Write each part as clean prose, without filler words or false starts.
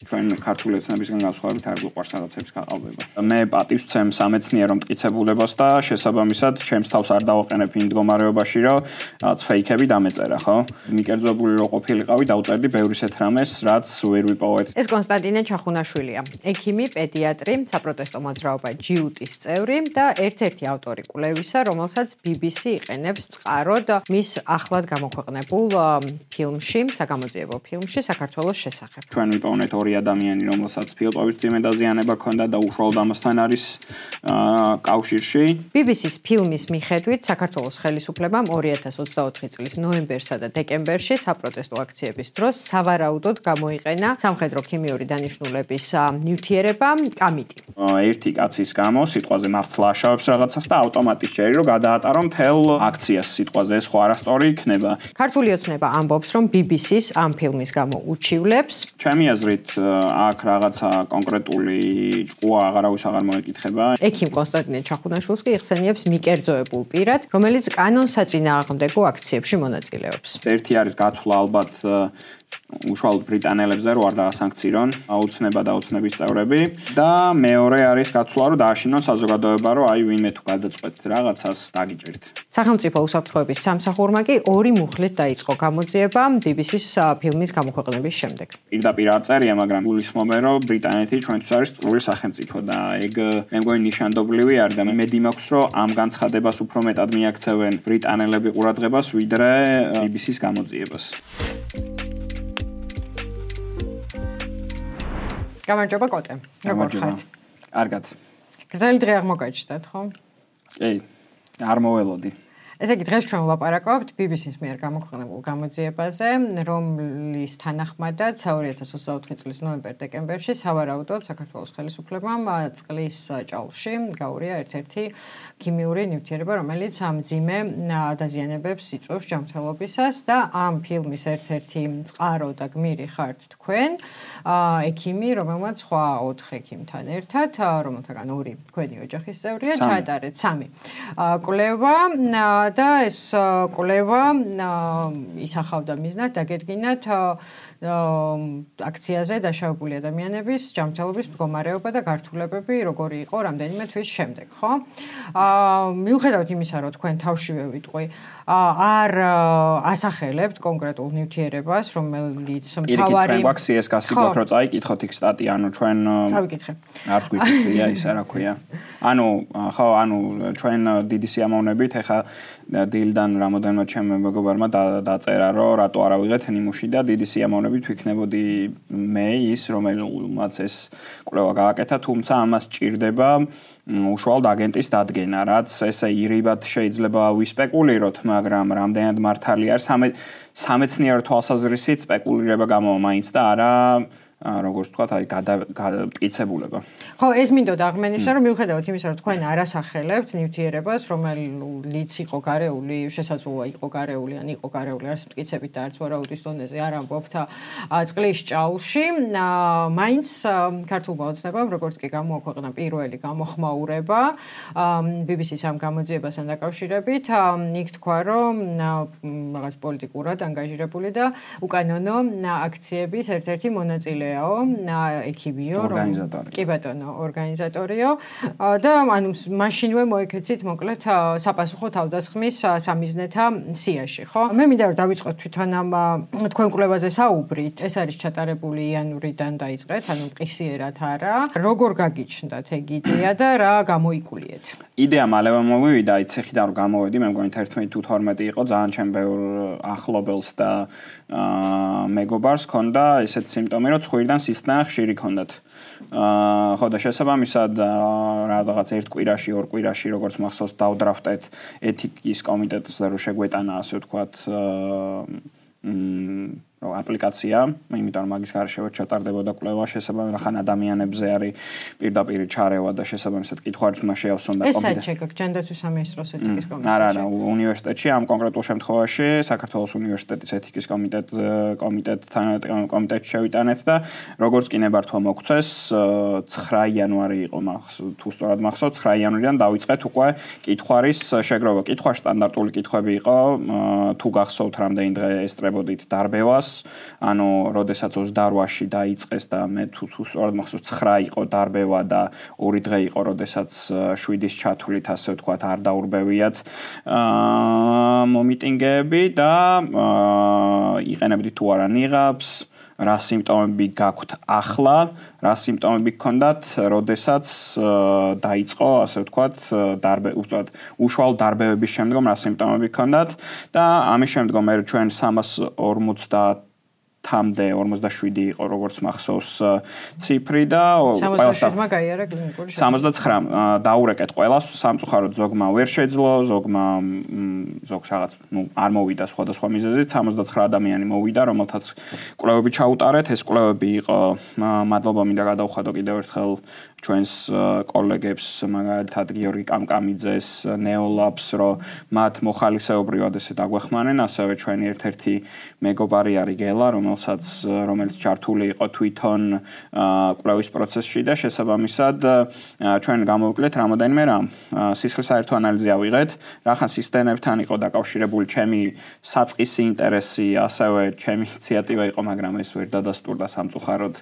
ჩვენ ქართული ოცნებისგან განსხვავებით არ გვიყვარს რაღაცების გაყალბება. მე პატივს ვცემ სამეცნიერო მტკიცებულებას და შესაბამისად ჩემს თავს არ დავაყენებ იმ მდგომარეობაში, რომ რაღაც ფეიქები დამეწერა, ხო? მიკერძებული რო ყოფილიყავი, დავწერდი ბევრ ისეთ რამეს, რაც ვერ ვიპოვეთ. ეს კონსტანტინე ჩახუნაშვილია, ექიმი, პედიატრი, საპროტესტო მოძრაობა ჯიუტის წევრი და ერთ-ერთი ავტორი კვლევისა, რომელსაც BBC იყენებს წყაროდ მის ახლად გამოქვეყნებულ ფილმში, საგამოძიებო ფილმში საქართველოს შესახებ. ჩვენ ვიპოვნეთ ორი ადამიანი, რომელსაც ფილტვების წიმე დაზიანება ჰქონდა და უშუალოდ ამასთან არის კავშირში. BBC-ს ფილმის მიხედვით საქართველოს ხელისუფლებამ 2024 წლის ნოემბერსა და დეკემბერში საპროტესტო აქციების დროს სავარაუდოდ გამოიყენა სამხედრო ქიმიური დანიშნულების ნივთიერება კამიტი. ერთი კაცის გამო სიტყვაზე მართლა აშავებს რაღაცას და ავტომატის ჯერი რომ გადაატარო მთელ აქციას სიტყვაზე, ეს ხო არასწორი იქნება. ქართული ოცნება ამბობს, რომ BBC-ს ამ ფილმის გამო უჩივლებს. ჩემი აზრით აქ რაღაცა კონკრეტული ჭკუა აღარავის აღარ მოეკითხება. ექიმ კონსტანტინე ჩახუნაშვილს კი იხსენიებს მიკერძოებულ პირად, რომელიც კანონსაწინააღმდეგო აქციებში მონაწილეობს. ერთი არის გათვლა ალბათ უშუალოდ ბრიტანელებზე რო არ დაასანქცირონ აუცნება და ოცნების წევრები და მეორე არის გათვლა რომ დააშინონ საზოგადოება რომ აი ვინმე თუ გადაწყვეტ რაღაცას დაგიჭერთ. სახელმწიფო უსაფრთხოების სამსახურმა კი ორი მუხლით დაიწყო გამოძიება BBC-ს ფილმის გამოქვეყნების შემდეგ. პირდაპირ არ წერია, მაგრამ გულისხმობენ რომ ბრიტანეთი ჩვენთვის არის ტყუილი სახელმწიფო და ეგ მე მგონი ნიშანდობლივი არის და მედი მაქვს რომ ამ განცხადებას უფრო მეტად მიაქცევენ ბრიტანელები ყურადღებას ვიდრე BBC-ს გამოძიებას. გამარჯობა კოტე. როგორ ხართ? კარგად. გრძელი დღე აღმოგაჩნდათ, ხო? კი. არ მოველოდი. ესე იგი დღეს ჩვენ ვლაპარაკობთ BBC-ს მიერ გამოქვეყნებულ გამოძიებაზე, რომლის თანახმადაც 2024 წლის ნოემბერ-დეკემბერში სავარაუდოდ საქართველოს ხელისუფლებამ წყლის ჭაულში გაურია ერთ-ერთი ქიმიური ნივთიერება, რომელიც მძიმე დაზიანებებს იწვევს ჯანმრთელობისას და ამ ფილმის ერთ-ერთი წყარო და გმირი ხართ თქვენ, ექიმი, რომელმაც სხვა 4 ექიმთან ერთად, რომელთაგან 2 თქვენი ოჯახის წევრია, ჩაატარეთ 3 კვლევა და ეს კვლევა ისახავდა მიზნად დაგედგინათ აქციაზე დაშავებული ადამიანების ჯანმრთელობის მდგომარეობა და გართულებები როგორი იყო რამდენიმე თვის შემდეგ, ხო? მიუხედავად იმისა, რომ თქვენ თავშივე ვიტყვი, არ ასახელებთ კონკრეტულ ნივთიერებას, რომელიც მთავარი გვაქვს CSK-ს გვაქვს რომ წაიკითხოთ იქ სტატია, ანუ ჩვენ წავიკითხე. არც გვიკითხია ისა რა ქვია. ანუ ხო, ანუ ჩვენ დიდი სიამოვნებით ეხა დილიდან რამოდენმე ჩემ მეგობარმა დაწერა რომ რატო არ ავიღეთ ნიმუში და დიდი სიამოვნებით ვიქნებოდი მე ის რომელმაც ეს კვლევა გააკეთა, თუმცა ამას ჭირდება უშუალოდ აგენტის დადგენა, რაც ესე ირიბად შეიძლება ვისპეკულიროთ, მაგრამ რამდენად მართალი არის სამეცნიერო თვალსაზრისით სპეკულირება გამოვა მაინც და არა როგორც თქვა, აი გადამტკიცებულება. ხო, ეს მინდოდა აღმენიშნა, რომ მიუხედავად იმისა, რომ თქვენ არ ასახელებთ ნივთიერებას, რომელიც იყო გარეული, შესაძლოა იყო გარეული, ან იყო გარეული, არც მტკიცებით და არც ვარაუდის დონეზე არ ამბობთ წყლის ჭაულში, მაინც ქართულმა ოცნებამ, როგორც კი გამოაქვეყნა პირველი გამოხმაურება BBC-ს ამ გამოძიებასთან დაკავშირებით, იქ თქვა, რომ რაღაც პოლიტიკურად ანგაჟირებული და უკანონო აქციების ერთ-ერთი მონაწილე ექიმიო, კი ბატონო, ორგანიზატორიო და ანუ მაშინვე მოეკეცით მოკლედ საპასუხო თავდასხმის სამიზნეთა სიაში, ხო? მე მინდა რომ დავიწყოთ თვითონ ამ თქვენ კვლევაზე საუბრით. ეს არის ჩატარებული იანვრიდან დაიწყეთ, ანუ მყისიერად არა. როგორ გაგიჩნდათ ეგ იდეა და რა გამოიკულიეთ? იდეა მალევე მოვივიდა, იცეხიდან რომ გამოვედი, მე მგონი 11 თუ 12 იყო, ძალიან ჩემ ბევრ ახლობელს და მეგობარს ჰქონდა ესეთ სიმპტომი, რომ ხვირდან სისხლთან ხშირი ჰქონდათ. ხო და შესაბამისად რაღაც ერთ კვირაში, ორ კვირაში, როგორც მახსოვს, დავდრაფტეთ ეთიკის კომიტეტზე, რომ შეგვეტანა, ასე ვთქვათ, აპლიკაცია, იმიტომ რომ მაგის გარშევ ჩატარდებოდა კვლევა შესაბამისად ხან ადამიანებზე არის პირდაპირ ჩარევა და შესაბამისად კითხვარიც უნდა შეავსონ და კომიტეტი. ეს საჩეკ ჯანდაცვის სამინისტროს ეთიკის კომისიაში. არა, უნივერსიტეტში ამ კონკრეტულ შემთხვევაში საქართველოს უნივერსიტეტის ეთიკის კომიტეტში შევიტანეთ და როგორც კი ნებართვა მოგვცეს 9 იანვარი იყო თუ სწორად მახსოვს 9 იანვრიდან დავიწყეთ უკვე კითხვარის შეგროვა. კითხვა სტანდარტული კითხვები იყო, თუ გახსოვთ რამდენი დღე ესწრებოდით დარბევას ანუ როდესაც 28-ში დაიწყეს და მე თუ სწორად მახსოვს 9 იყო დარბევა და 2 დღე იყო როდესაც 7-ის ჩათვლით ასე ვთქვათ არ დაურბევიათ მომიტინგეები და იყენებდით თუ არა ნიღაბს რა სიმპტომები გაქვთ ახლა, რა სიმპტომები გქონდათ, როდესაც დაიწყო, ასე ვთქვათ, უბრალოდ უშუალო დარბევების შემდგომ რა სიმპტომები გქონდათ და ამის შემდგომ მე ჩვენ 350-მდე 47 იყო როგორც მახსოვს ციფრი და 67-მა გაიარა კლინიკური 69 დაურეკეთ ყველას სამწუხაროდ ზოგმა ვერ შეძლო ზოგმა ზოგს რაღაც არ მოვიდა სხვადასხვა მიზეზით 79 ადამიანი მოვიდა რომელთაც კვლევები ჩაუტარეთ ეს კვლევები იყო მადლობა მინდა გადავხადო კიდევ ერთხელ ჩვენს კოლეგებს მაგალითად გიორგი კამკამიძეს ნეოლაბს რომ მათ მოხალისეობრივად ესე დაგვეხმანენ ასევე ჩვენი ერთ-ერთი მეგობარი არის გელა რომელიც ჩართული იყო თვითონ კვლევის პროცესში და შესაბამისად ჩვენ გამოვიკლეთ რამოდენიმე რამ სისხლის საერთო ანალიზი ავიღეთ რახან სისტემებთან იყო დაკავშირებული ჩემი საწყისი ინტერესი ასევე ჩემი ინიციატივა იყო მაგრამ ეს ვერ დადასტურდა სამწუხაროდ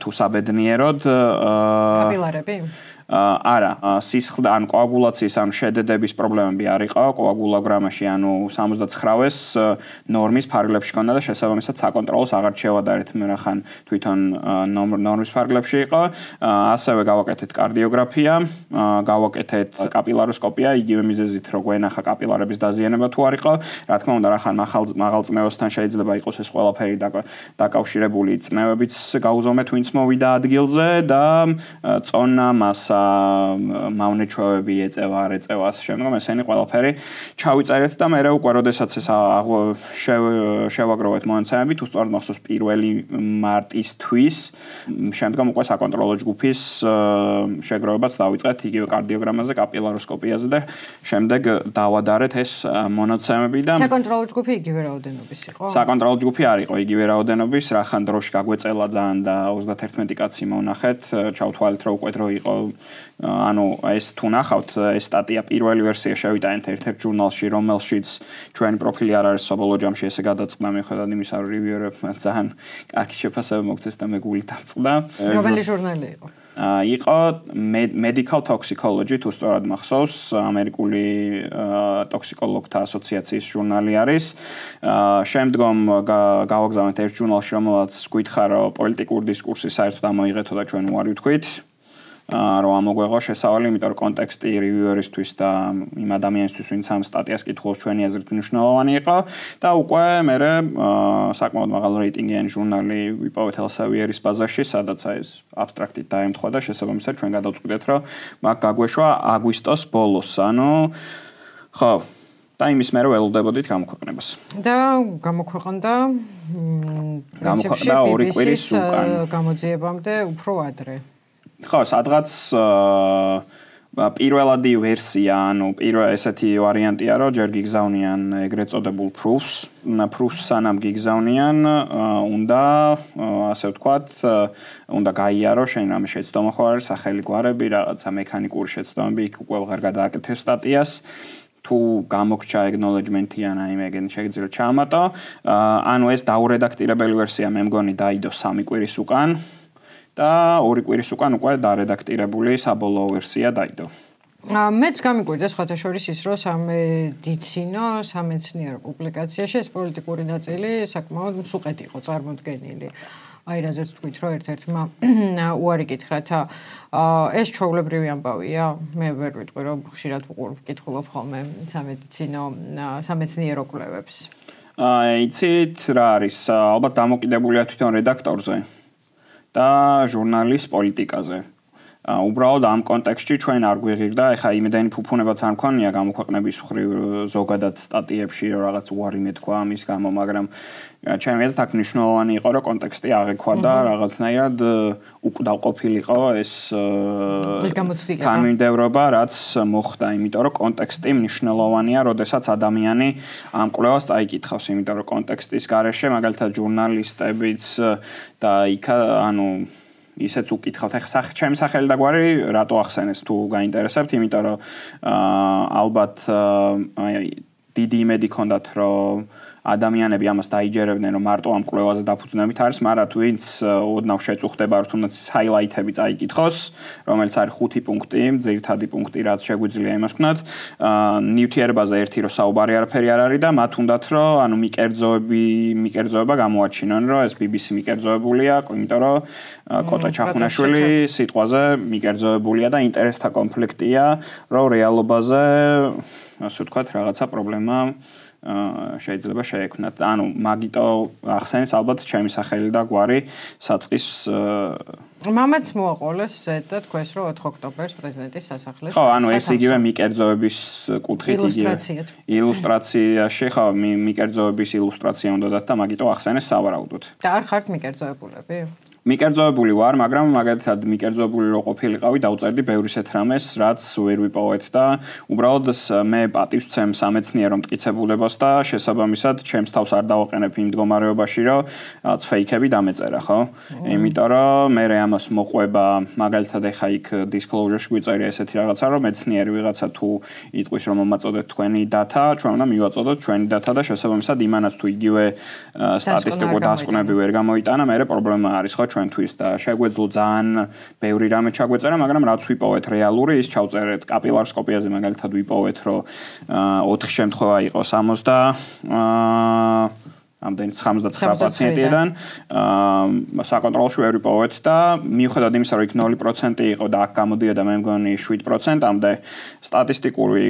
თუ საბედნიეროდ კაპილარები? არა, სისხლი ან კოაგულაციის ან შედედების პრობლემები არ იყო, კოაგულოგრამაში ანუ 79-ს ნორმის ფარგლებში ჰქონდა და შესაბამისად საკონტროლოს აღარ შევადარეთ მე რახან თვითონ ნორმის ფარგლებში იყო, ასევე გავაკეთეთ კარდიოგრაფია, გავაკეთეთ კაპილაროსკოპია, იგივე მიზეზით რო გვენახა კაპილარების დაზიანება თუ არ იყო, რა თქმა უნდა რახან მაღალწნევოსთან შეიძლება იყოს ეს ყველაფერი დაკავშირებული წნევებიც გაუზომეთ ვინც მოვიდა ადგილზე და წონა მასა მავნეჩვევები ეწევა არ ეწევა ასე შემდგომ ესენი ყველაფერი ჩავიწერეთ და მე უკვე როდესაც ეს შევაგროვეთ მონაცემები თუ სწორად მახსოვს 1 მარტისთვის შემდგომ უკვე საკონტროლო ჯგუფის შეგროვებაც დავიწყეთ იგივე კარდიოგრამაზე კაპილაროსკოპიაზე და შემდეგ დავადარეთ ეს მონაცემები და საკონტროლო ჯგუფი იგივე რაოდენობის იყო? საკონტროლო ჯგუფი არ იყო იგივე რაოდენობის რახან დროში გაგვეწელა ძალიან და 31 კაცი მონახეთ ჩავთვალეთ რომ უკვე დრო იყო ანუ ეს თუ ნახავთ ეს სტატია პირველი ვერსია შევიტანეთ ერთ-ერთ ჟურნალში რომელშიც ჩვენი პროფილი არ არის საბოლოო ჯამში ესე გადაწყდა მიუხედავად იმისა რომ რივიურებმა ძალიან კარგი შეფასება მოგცეს და მე გული დავწყდა რომელი ჟურნალი იყო? იყო Medical Toxicology თუ სწორად მახსოვს ამერიკული ტოქსიკოლოგთა ასოციაციის ჟურნალი არის შემდგომ გავაგზავნეთ ერთ ჟურნალში რომელსაც გითხარ რომ პოლიტიკური დისკურსი საერთოდ ამოიღეთო და ჩვენ უარი ვთქვით რომ ამოგვეღო შესავალი, იმიტომ რომ კონტექსტი რივიუერისთვის და იმ ადამიანისთვის, ვინც ამ სტატიას კითხულობს, ჩვენი აზრით მნიშვნელოვანი იყო და უკვე მე საკმაოდ მაღალ რეიტინგიანი ჟურნალი ვიპოვეთ Elsevieris ბაზაში, სადაც ეს აბსტრაქტით დაემთხვა და შესაბამისად ჩვენ გადავწყვიტეთ, რომ მაგ გაგვეშვა აგვისტოს ბოლოს, ანუ ხო და იმის მერე ველოდებოდით გამოქვეყნებას. და გამოქვეყნდა 2 კვირის უკან. გამოძიებამდე უფრო ადრე. ხო, სადღაც პირველადი ვერსია, ანუ ესეთი ვარიანტია, რომ ჯერ გიგზავნიან ეგრეთ წოდებულ proofs, სანამ გიგზავნიან, უნდა ასე ვთქვათ, უნდა გაიარო შენ რამე შეცდომა ხო არის, სახელი გვარები, რაღაცა მექანიკური შეცდომები, იქ უკვე ვღარ გადააკეთებ სტატიას. თუ გამოგჩა acknowledgement-ი ან აი მეგენ შეიძლება ჩაამატო, ანუ ეს დაურედაქტირებელი ვერსია მე მგონი დაიდო 3 კვირის უკან. და 2 კვირის უკან უკვე დარედაქტირებული საბოლოო ვერსია დაიდო. მეც გამიკვირდა სხვათა შორის ის, რომ სამეცნიერო პუბლიკაციაში ეს პოლიტიკური ნაწილი საკმაოდ მსუყეთ იყო წარმოდგენილი. აი რაზეც თქვით, რომ ერთ-ერთმა უარი გითხრათ, ეს ჩვეულებრივი ამბავია. მე ვერ ვიტყვი, რომ ხშირად ვკითხულობ ხოლმე სამეცნიერო კვლევებს. იცით რა არის, ალბათ დამოკიდებულია თვითონ რედაქტორზე. და ჟურნალის პოლიტიკაზე. უბრალოდ ამ კონტექსტში ჩვენ არ გვიღირდა, ეხა იმედენი ფუფუნებაც არ მქონია გამოქვეყნების მხრივ ზოგადად სტატიებში რომ რაღაც უარი მეთქვა ამის გამო, მაგრამ ჩემი აზრით აქ მნიშვნელოვანი იყო რომ კონტექსტი აღექვა და რაღაცნაირად უკდავყოფილიყო ეს თანმიმდევრობა, რაც მოხდა, იმიტომ რომ კონტექსტი მნიშვნელოვანია, როდესაც ადამიანი ამ კვლევას წაიკითხავს, იმიტომ რომ კონტექსტის გარეშე მაგალითად ჟურნალისტებიც და იქ ანუ ისეც უკითხავთ, ეხლა ჩემი სახელი და გვარი რატო ახსენეს თუ გაინტერესებთ, იმიტომ რომ ალბათ დიდი იმედი ქონდათ, რომ ადამიანები ამას დაიჯერებდნენ, რომ მარტო ამ კვლევაზე დაფუძნებით არის, მაგრამ ვინც ოდნავ შეწუხდება, რომ თუნდაც ჰაილაითები წაიკითხოს, რომელიც არის 5 პუნქტი, ძირითადი პუნქტი, რაც შეგვიძლია იმას ვქნათ. ნივთიერებაზე ერთი რომ საუბარი არაფერი არ არის და მათ უნდათ რომ ანუ მიკერძოება გამოაჩინონ, რომ ეს BBC მიკერძოებულია, იმიტომ რომ კოტა ჩახუნაშვილი სიტყვაზე მიკერძოებულია და ინტერესთა კონფლიქტია, რომ რეალობაზე ასე ვთქვათ, რაღაცა პრობლემა შეიძლება შეექმნათ. ანუ მაგიტო ახსენს ალბათ ჩემი სახელი და გვარი საწყის მამაც მოაყოლეს ზედა თქვენს რომ 4 ოქტომბერს პრეზიდენტის სასახლეს. ხო, ანუ ეს იგივე მიკერძოების კუთხით ილუსტრაციაში ხო, მიკერძოების ილუსტრაცია უნდა დათ და მაგიტო ახსენეს სავარაუდოდ. და არ ხართ მიკერძოებულები? მიკერძოებული ვარ, მაგრამ მაგალითად მიკერძოებული რო ყოფილიყავი, დავწერდი ბევრი ისეთ რამეს, რაც ვერ ვიპოვეთ და უბრალოდ მე პატივს ვცემ სამეცნიერო მტკიცებულებას და შესაბამისად ჩემს თავს არ დავაყენებ იმ მდგომარეობაში, რომ რაღაც ფეიქები დამეწერა, ხო? იმიტომ რომ მე ამას მოყვება, მაგალითად ეხა იქ disclosure-ში გვიწერია ესეთი რაღაცა, რომ მეცნიერი ვიღაცა თუ იტყვის რომ მომაწოდეთ თქვენი data, ჩვენ უნდა მივაწოდოთ ჩვენი data და შესაბამისად იმანაც თუ იგივე სტატისტიკურ დასკვნები ვერ გამოიტანა, მე პრობლემა არის, ხო? ჩვენთვის და შეგვეძლო ძალიან ბევრი რამე ჩაგვეწერა, მაგრამ რაც ვიპოვეთ რეალური, ის ჩავწერეთ კაპილარსკოპიაზე მაგალითად ვიპოვეთ, რომ 4 შემთხვევა იყო 79 პაციენტიდან საკონტროლში ვერ ვიპოვეთ და მიუხედავად იმისა, რომ იქ 0% იყო და აქ გამოდიოდა მე მგონი 7%-მდე სტატისტიკური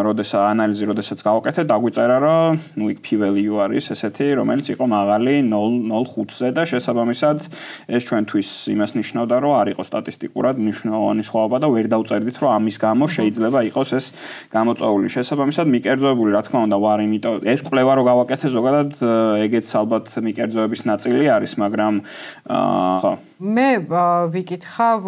როდესაც გავაკეთე, დაგვიწერა, რომ იქ p-value არის ესეთი, რომელიც იყო მაღალი 0.05-ზე და შესაბამისად ეს ჩვენთვის იმას ნიშნავდა, რომ არ იყო სტატისტიკურად მნიშვნელოვანი სხვაობა და ვერ დავწერდით, რომ ამის გამო შეიძლება იყოს ეს გამოწვეული. შესაბამისად მიკერძოებული, რა თქმა უნდა, ვარ, იმიტომ ეს კვლევა რო გავაკეთე ზოგადად ეგეც ალბათ მიკერძოების ნაწილი არის, მაგრამ ხო. მე ვიკითხავ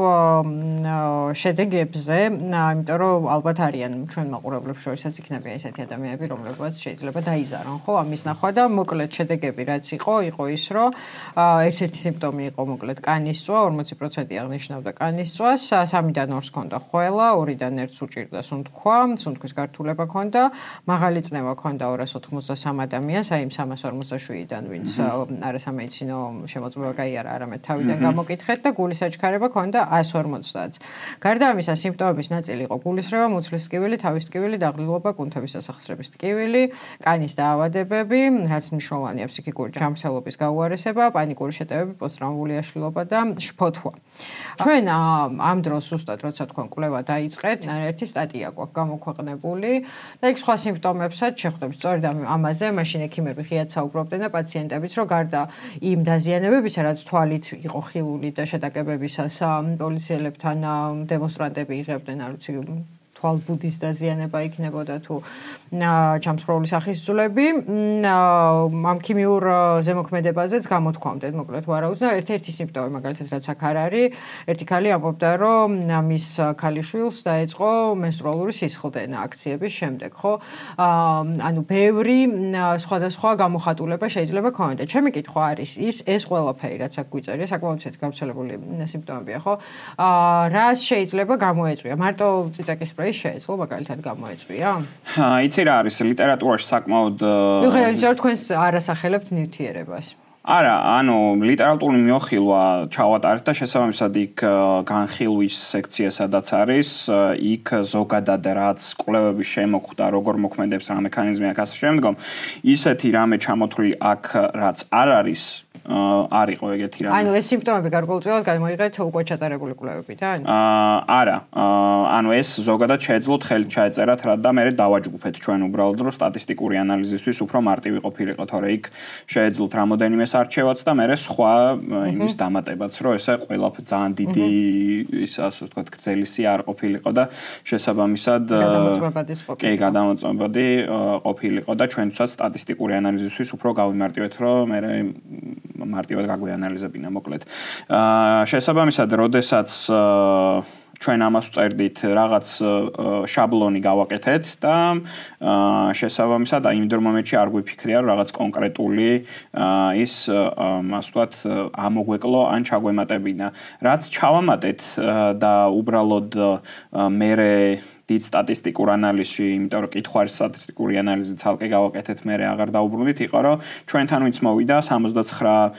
შედეგებზე, იმიტომ რომ ალბათ არიან ჩვენ მაყურებლებს შორისაც იქნებიან ესეთი ადამიანები, რომლებსაც შეიძლება დაიზარონ, ხო, ამის ნახვა და მოკლედ შედეგები რაც იყო ის, რომ ერთ-ერთი სიმპტომი იყო მოკლედ კანის წვა, 40% აღნიშნავდა კანის წვას, 3-დან 2-ს ჰქონდა ხველა, 2-დან 1-ს უჭირდა სუნთქვა, სუნთქვის გართულება ჰქონდა, მაღალი წნევა ჰქონდა 293 ადამიანს, აი იმ 347-დან, ვინც არასამედიცინო შემოწმება გაიარა, არამედ თავიდან მოკითხეთ და გულის აჩქარება ქონდა 150-ს. გარდა ამისა, სიმპტომების ნაწილი იყო გულისრევა, მუცლის ტკივილი, თავის ტკივილი, დაღლილობა, კუნთების დასახსრების ტკივილი, კანის დაავადებები, რაც მნიშვნელოვანია ფსიქიკური ჯანმრთელობის გაუარესება, პანიკური შეტევები, პოსტტრავმული აშლილობა და შფოთვა. ჩვენ ამ დროს ზუსტად როცა თქვენ კვლევა დაიწყეთ, ერთი სტატია გვაქვს გამოქვეყნებული და იქ სხვა სიმპტომებსაც შეხვდებით. სწორედ ამაზე მაშინ ექიმები ღიად საუბრობდნენ და პაციენტებიც, რომ გარდა იმ დაზიანებებისა, რაც თვალით იყო ხილული და შეტაკებებისას პოლიციელებთან დემონსტრანტები იღებდნენ, არ ვიცი, თვალბუდის დაზიანება იქნებოდა თუ ჩამსხვრეული სახის ძვლები, ამ ქიმიურ ზემოქმედებაზეც გამოთქვამდეთ, მოკლედ ვარაუდს და ერთ-ერთი სიმპტომი მაგალითად რაც აქ არ არის, ერთი ქალი ამბობდა, რომ მის ქალიშვილს დაეწყო მენსტრუალური სისხლდენა აქციების შემდეგ, ხო? ანუ ბევრი სხვადასხვა გამოხატულება შეიძლება ქონოდა. ჩემი კითხვა არის ეს ყველაფერი რაც აქ გვიწერია, საკმაოდ გავრცელებული სიმპტომებია, ხო? რას შეიძლება გამოეწვია? მარტო წიწაკის სპრეი შეეძლო მაგალითად გამოეწვია? იცი რა არის ლიტერატურაში საკმაოდ მიუხედავად იმისა, რომ თქვენ არასახელებთ ნივთიერებას. არა, ანუ ლიტერატურული მიოხილვა ჩავატარეთ და შესაბამისად იქ განხილვის სექცია სადაც არის, იქ ზოგადად რაც კვლევების შემოხვდა, როგორ მოქმედებს რა მექანიზმი აქ ასე შემდგომ, ისეთი რამე ჩამოთვლილი აქ რაც არ არის არ იყო ეგეთი რამე. ანუ ეს სიმპტომები გარკვეულწილად გამოიღეთ უკვე ჩატარებული კვლევებიდან? არა, ანუ ეს ზოგადად შეეძლოთ ხელით ჩაეწერათ რა და მე დავაჯგუფეთ ჩვენ უბრალოდ რომ სტატისტიკური ანალიზისთვის უფრო მარტივი ყოფილიყო, თორე იქ შეეძლოთ რამოდენიმე არჩევაც და მე სხვა იმის დამატებაც, რომ ესე ყველაფერი ძალიან დიდი ის ასე ვთქვათ გრძელისი არ ყოფილიყო და შესაბამისად გადამოწმებადი ყოფილიყო და ჩვენთვისაც სტატისტიკური ანალიზისთვის უფრო გავიმარტივეთ, რომ მე მარტივად გაგვიანალიზებინა მოკლედ. შესაბამისად, როდესაც ჩვენ ამას ვწერდით, რაღაც შაბლონი გავაკეთეთ და შესაბამისად იმ მომენტში არ გვიფიქრია, რომ რაღაც კონკრეტული ის ასე ვთქვათ ამოგვეკლო ან ჩაგვემატებინა. რაც ჩავამატეთ და უბრალოდ მე დიდ სტატისტიკურ ანალიზში, იმიტომ რომ კითხვარის სტატისტიკური ანალიზი ცალკე გავაკეთეთ, მე აღარ დაუბრუნდით, იყო რომ ჩვენთან ვინც მოვიდა 69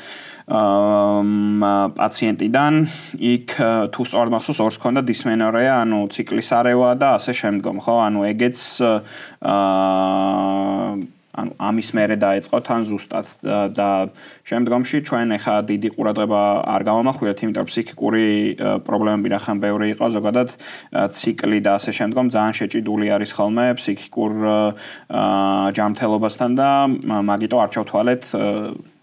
პაციენტიდან იქ თუ სწორად მახსოვს ორს ქონდა დისმენორეა, ანუ ციკლის არევა და ასე შემდგომ, ხო? ანუ ეგეც ანუ ამის მერე დაეწყო თან ზუსტად და შემდგომში ჩვენ ახლა დიდი ყურადღება არ გამომახვილეთ, იმიტომ რომ ფსიქიკური პრობლემები რახან ბევრი იყო, ზოგადად ციკლი და ასე შემდგომ ძალიან შეჭიდული არის ხოლმე ფსიქიკურ ჯანმრთელობასთან და მაგიტო არ ჩავთვალეთ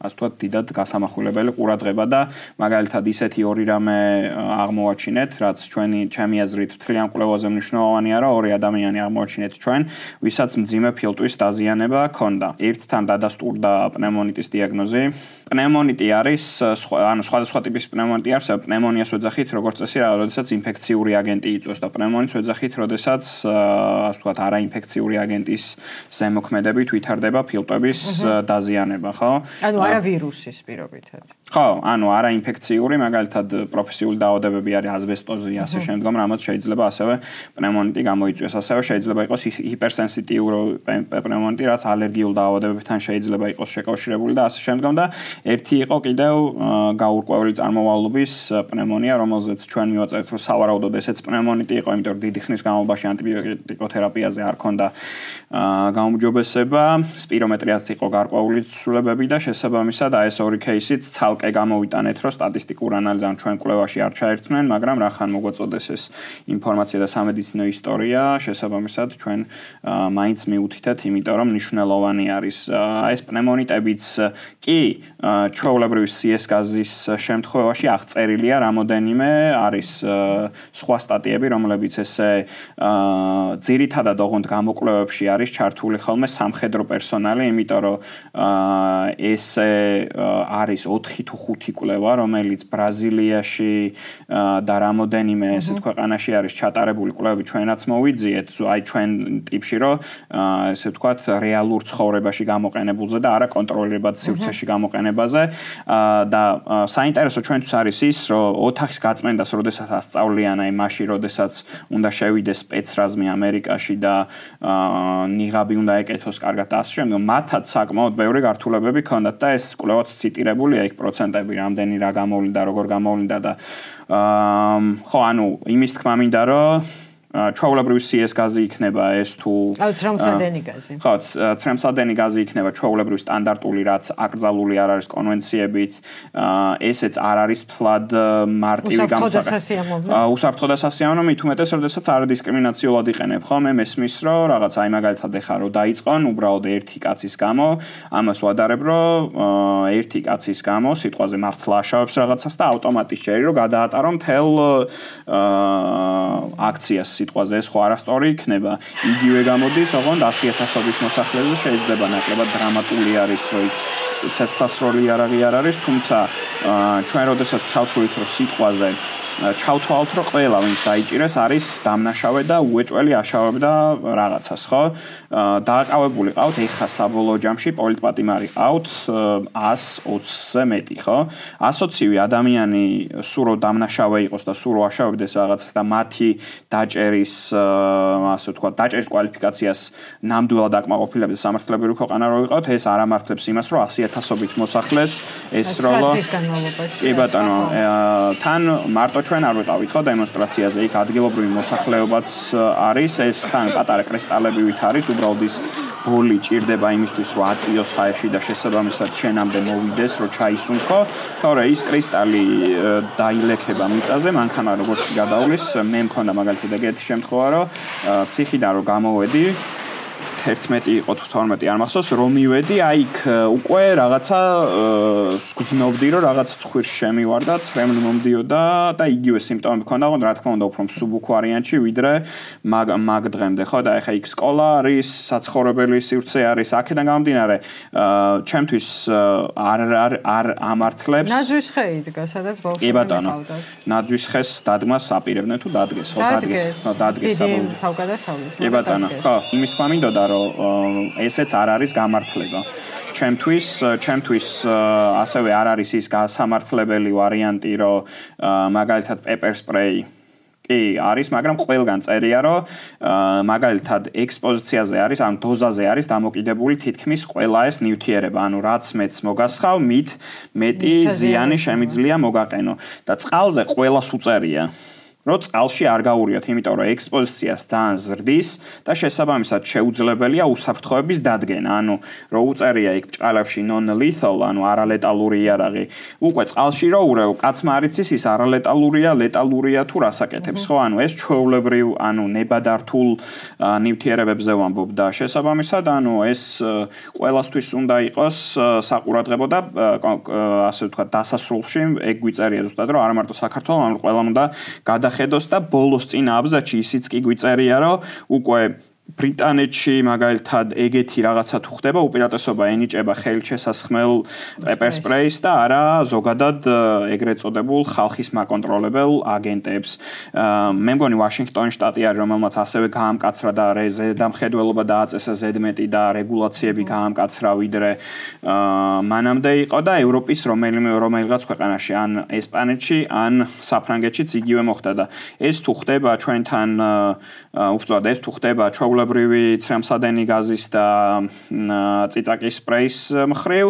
ასე ვთქვათ, დიდად გასამახვილებელი ყურადღება და მაგალითად ისეთი ორი რამე აღმოვაჩინეთ, რაც ჩემი აზრით მთლიან კვლევაზე მნიშვნელოვანია, რომ ორი ადამიანი აღმოვაჩინეთ ჩვენ, ვისაც მძიმე ფილტვის დაზიანება ჰქონდა. ერთთან დადასტურდა პნევმონიტის დიაგნოზი. პნევმონიტი არის, ანუ სხვადასხვა ტიპის პნევმონიტი არის, პნევმონიას ვეძახით, როგორც წესი, როდესაც ინფექციური აგენტი იწვევს და პნევმონიტს ვეძახით, როდესაც ასე ვთქვათ, არაინფექციური აგენტის ზემოქმედებით ვითარდება ფილტვების დაზიანება, ხო? ანუ არა ვირუსის პირობითად. ხო, ანუ არაინფექციური, მაგალითად პროფესიული დაავადებები არის ასბესტოზი, ასე შემდგომ, რამაც შეიძლება ასევე პნევმონიტი გამოიწვიოს. ასევე შეიძლება იყოს ჰიპერსენსიტიური პნევმონიტი, რაც ალერგიულ დაავადებებთან შეიძლება იყოს შეკავშირებული და ასე შემდგომ და ერთი იყო კიდევ გაურკვეველი წარმოვალობის პნევმონია, რომელზეც ჩვენ მივაწევთ, რომ სავარაუდოდ ესეც პნევმონიტი იყო, იმიტომ რომ დიდი ხნის განმავლობაში ანტიბიოტიკოთერაპიაზე არ ქონდა გაუმჯობესება, სპირომეტრიაც იყო გარკვეული ცვლილებები და შესაბამისად ეს ორი кейსიც ცალკე გამოვიტანეთ, რომ სტატისტიკურ ანალიზად ჩვენ კვლევაში არ ჩაერთვნენ, მაგრამ რახან მოგვაწოდეს ეს ინფორმაცია და სამედიცინო ისტორია, შესაბამისად ჩვენ მაინც მიუთითეთ, იმიტომ რომ მნიშვნელოვანი არის. ეს პნევმონიტებიც კი ჩვეულებრივი CS გაზის შემთხვევაში აღწერილია რამოდენიმე არის სხვა სტატიები, რომლებიც ესე ძირითადად ოღონდ გამოკვლევებში არის ჩართული ხოლმე სამხედრო პერსონალი, იმიტომ რომ ესე არის 4 თუ 5 კვლევა, რომელიც ბრაზილიაში და რამოდენიმე ესეთ ქვეყანაში არის ჩატარებული კვლევები, ჩვენაც მოვიძიეთ, აი ჩვენ ტიპში, რომ ესე ვთქვათ, რეალურ ცხოვრებაში გამოყენებულზე და არა კონტროლირებად სივრცეში გამოყენებაზე და საინტერესო ჩვენთვის არის ის, რომ ოთახის გაწმენდას, როდესაც ასწავლიან, აი მაშინ, როდესაც უნდა შევიდეს სპეცრაზმი ამერიკაში და ნიღაბი უნდა ეკეთოს კარგად და ასე შემდგომ, მათაც საკმაოდ ბევრი გართულებები ჰქონდათ და ეს კვლევაც ციტირებულია იქ პროცენტები, რამდენი რა გამოვლინდა, როგორ გამოვლინდა და ხო, ანუ იმის თქმა მინდა, რომ ჩვეულებრივი CS გაზი იქნება ეს თუ ცრემლსადენი გაზი. ხო, ცრემლსადენი გაზი იქნება ჩვეულებრივი სტანდარტული, რაც აკრძალული არ არის კონვენციებით, ესეც არ არის თლად მარტივი უსაფრთხო და სასიამოვნო, მით უმეტეს, როდესაც არადისკრიმინაციულად იყენებ, ხო? მე მესმის, რომ რაღაც აი მაგალითად ეხა რომ დაიწყონ, უბრალოდ ერთი კაცის გამო, ამას ვადარებ, რომ ერთი კაცის გამო სიტყვაზე მართლა აშავებს რაღაცას და ავტომატის ჯერი რომ გადაატარო მთელ აქციას სიტყვაზე ეს ხო არასწორი იქნება. იგივე გამოდის, ოღონდ 100,000-ობით მოსახლეზე შეიძლება ნაკლებად დრამატული არის, რომ ცეცხლსასროლი იარაღი არ არის, თუმცა ჩვენ როდესაც ჩავთვლით, რომ სიტყვაზე ჩავთვალთ, რომ ყველა ვინც დაიჭირეს არის დამნაშავე და უეჭველი აშავებდა რაღაცას, ხო? დააკავებული ყავთ ეხა საბოლოო ჯამში პოლიტპატიმარი ყავთ 120-ზე მეტი, ხო? 120-ივე ადამიანი სულ რო დამნაშავე იყოს და სულ რო აშავებდეს რაღაცას და მათი დაჭერის, ასე ვთქვათ, დაჭერის კვალიფიკაციას ნამდვილად აკმაყოფილებს სამართლებრივი ქვეყანა რო ვიყავთ, ეს არ ამართლებს იმას, რომ 100,000-ობით მოსახლეს ესროლო. კი ბატონო, თან მარტო ჩვენ არ ვიყავით ხო დემონსტრაციაზე, იქ ადგილობრივი მოსახლეობაც არის, ეს თან პატარა კრისტალებივით არის, უბრალოდ ის ბოლი ჭირდება იმისთვის, რომ აწიოს ჰაერში და შესაბამისად შენამდე მოვიდეს, რომ ჩაისუნთქო, თორე ის კრისტალი დაილექება მიწაზე, მანქანა როგორც გადავლის, მე მქონდა მაგალითად ეგეთი შემთხვევა, რომ ციხიდან რომ გამოვედი 11 იყო თუ 12 არ მახსოვს, რომ მივედი, აი იქ უკვე რაღაცა გრძნობდი, რომ რაღაც ცხვირში შემივარდა, ცრემლი მომდიოდა და იგივე სიმპტომები მქონდა, მაგრამ რა თქმა უნდა, უფრო მსუბუქ ვარიანტში, ვიდრე მაგ დღემდე, ხო და ეხა იქ სკოლა არის, საცხოვრებელი სივრცე არის, აქედან გამომდინარე, ჩემთვის არ ამართლებს. ნაძვის ხე იდგა, სადაც ბავშვები მიყავდათ. ნაძვის ხეს დადგმას აპირებდნენ თუ დადგეს, ხო დადგეს, დიდი თავგადასავლით. კი ბატონო, ხო, იმის თქმა მინდოდა ესეც არ არის გამართლება. ჩემთვის ასევე არ არის ის სამართლებელი ვარიანტი, რომ მაგალითად პეპერ სპრეი კი არის, მაგრამ ყველგან წერია, რომ მაგალითად ექსპოზიციაზე არის, ანუ დოზაზე არის დამოკიდებული თითქმის ყველა ეს ნივთიერება, ანუ რაც მეც მოგასხავ, მით მეტი ზიანი შემიძლია მოგაყენო და წყალზე ყველას უწერია. Რო წყალში არ გაურიოთ, იმიტომ რომ ექსპოზიციას ძალიან ზრდის და შესაბამისად შეუძლებელია უსაფრთხოების დადგენა. ანუ რო უწერია იქ ბჭყალებში non-lethal, ანუ არალეტალური იარაღი, უკვე წყალში რო ურევ, კაცმა არ იცის ის არალეტალურია, ლეტალურია თუ რასაკეთებს, ხო? ანუ ეს ჩვეულებრივ, ანუ ნებადართულ ნივთიერებებზე ვამბობ და შესაბამისად, ანუ ეს ყველასთვის უნდა იყოს საყურადღებო და ასე ვთქვათ, დასასრულში ეგ გვიწერია ზუსტად, რომ არა მარტო საქართველოს, მაგრამ ყველამ უნდა ხედოს და ბოლოს წინა აბზაცში ისიც კი გვიწერია, რომ უკვე ბრიტანეთში მაგალითად ეგეთი რაღაცა თუ ხდება, უპირატესობა ენიჭება ხელით შესასხმელ პეპერ სპრეის და არა ზოგადად ეგრეთ წოდებულ ხალხის მაკონტროლებელ აგენტებს. მე მგონი ვაშინგტონის შტატი არის, რომელმაც ასევე გაამკაცრა და ზედამხედველობა დააწესა ზედმეტი და რეგულაციები გაამკაცრა ვიდრე მანამდე იყო და ევროპის რომელიღაც ქვეყანაში, ან ესპანეთში, ან საფრანგეთშიც იგივე მოხდა და ეს თუ ხდება ჩვენთან უბრალოდ ეს თუ ხდება ჩვეულებრივი ცრემსადენი გაზის და წიწაკის სპრეის მხრივ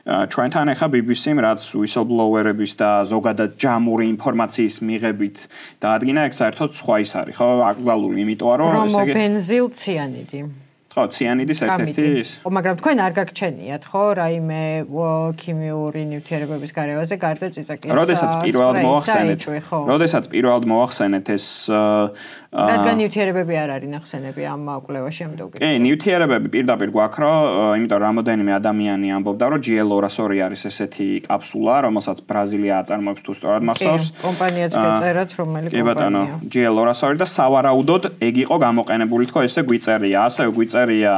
ჩვენთან ახლა BBC-მ რაც whistleblower-ების და ზოგადად ჯამური ინფორმაციის მიღებით დაადგინა, ეგ საერთოდ სხვა ის არის, ხო, აკრძალული, იმიტომ რომ ესე იგი ბენზილციანიდი ხო, ციანიდის ერთ-ერთი ის. მაგრამ თქვენ არ გაგჩენიათ, ხო, რაიმე ქიმიური ნივთიერებების გარევაზე გარდა წიწაკის. როდესაც პირველად მოახსენეთ ეს რადგან ნივთიერებები არ არის ნახსენები ამ კვლევაში ამ დოგეთ. კი, ნივთიერებები პირდაპირ გვაქვს, რომ იმიტომ რომ რამოდენიმე ადამიანი ამბობდა, რომ GL200 არის ესეთი კაფსულა, რომელსაც ბრაზილია აწარმოებს თუ სწორად მახსოვს. კომპანიაც გაწერათ, რომელი კომპანია. კი ბატონო, GL200 და სავარაუდოდ ეგ იყო გამოყენებული, თქო, ესე გვიწერია, ასევე გვიწერია,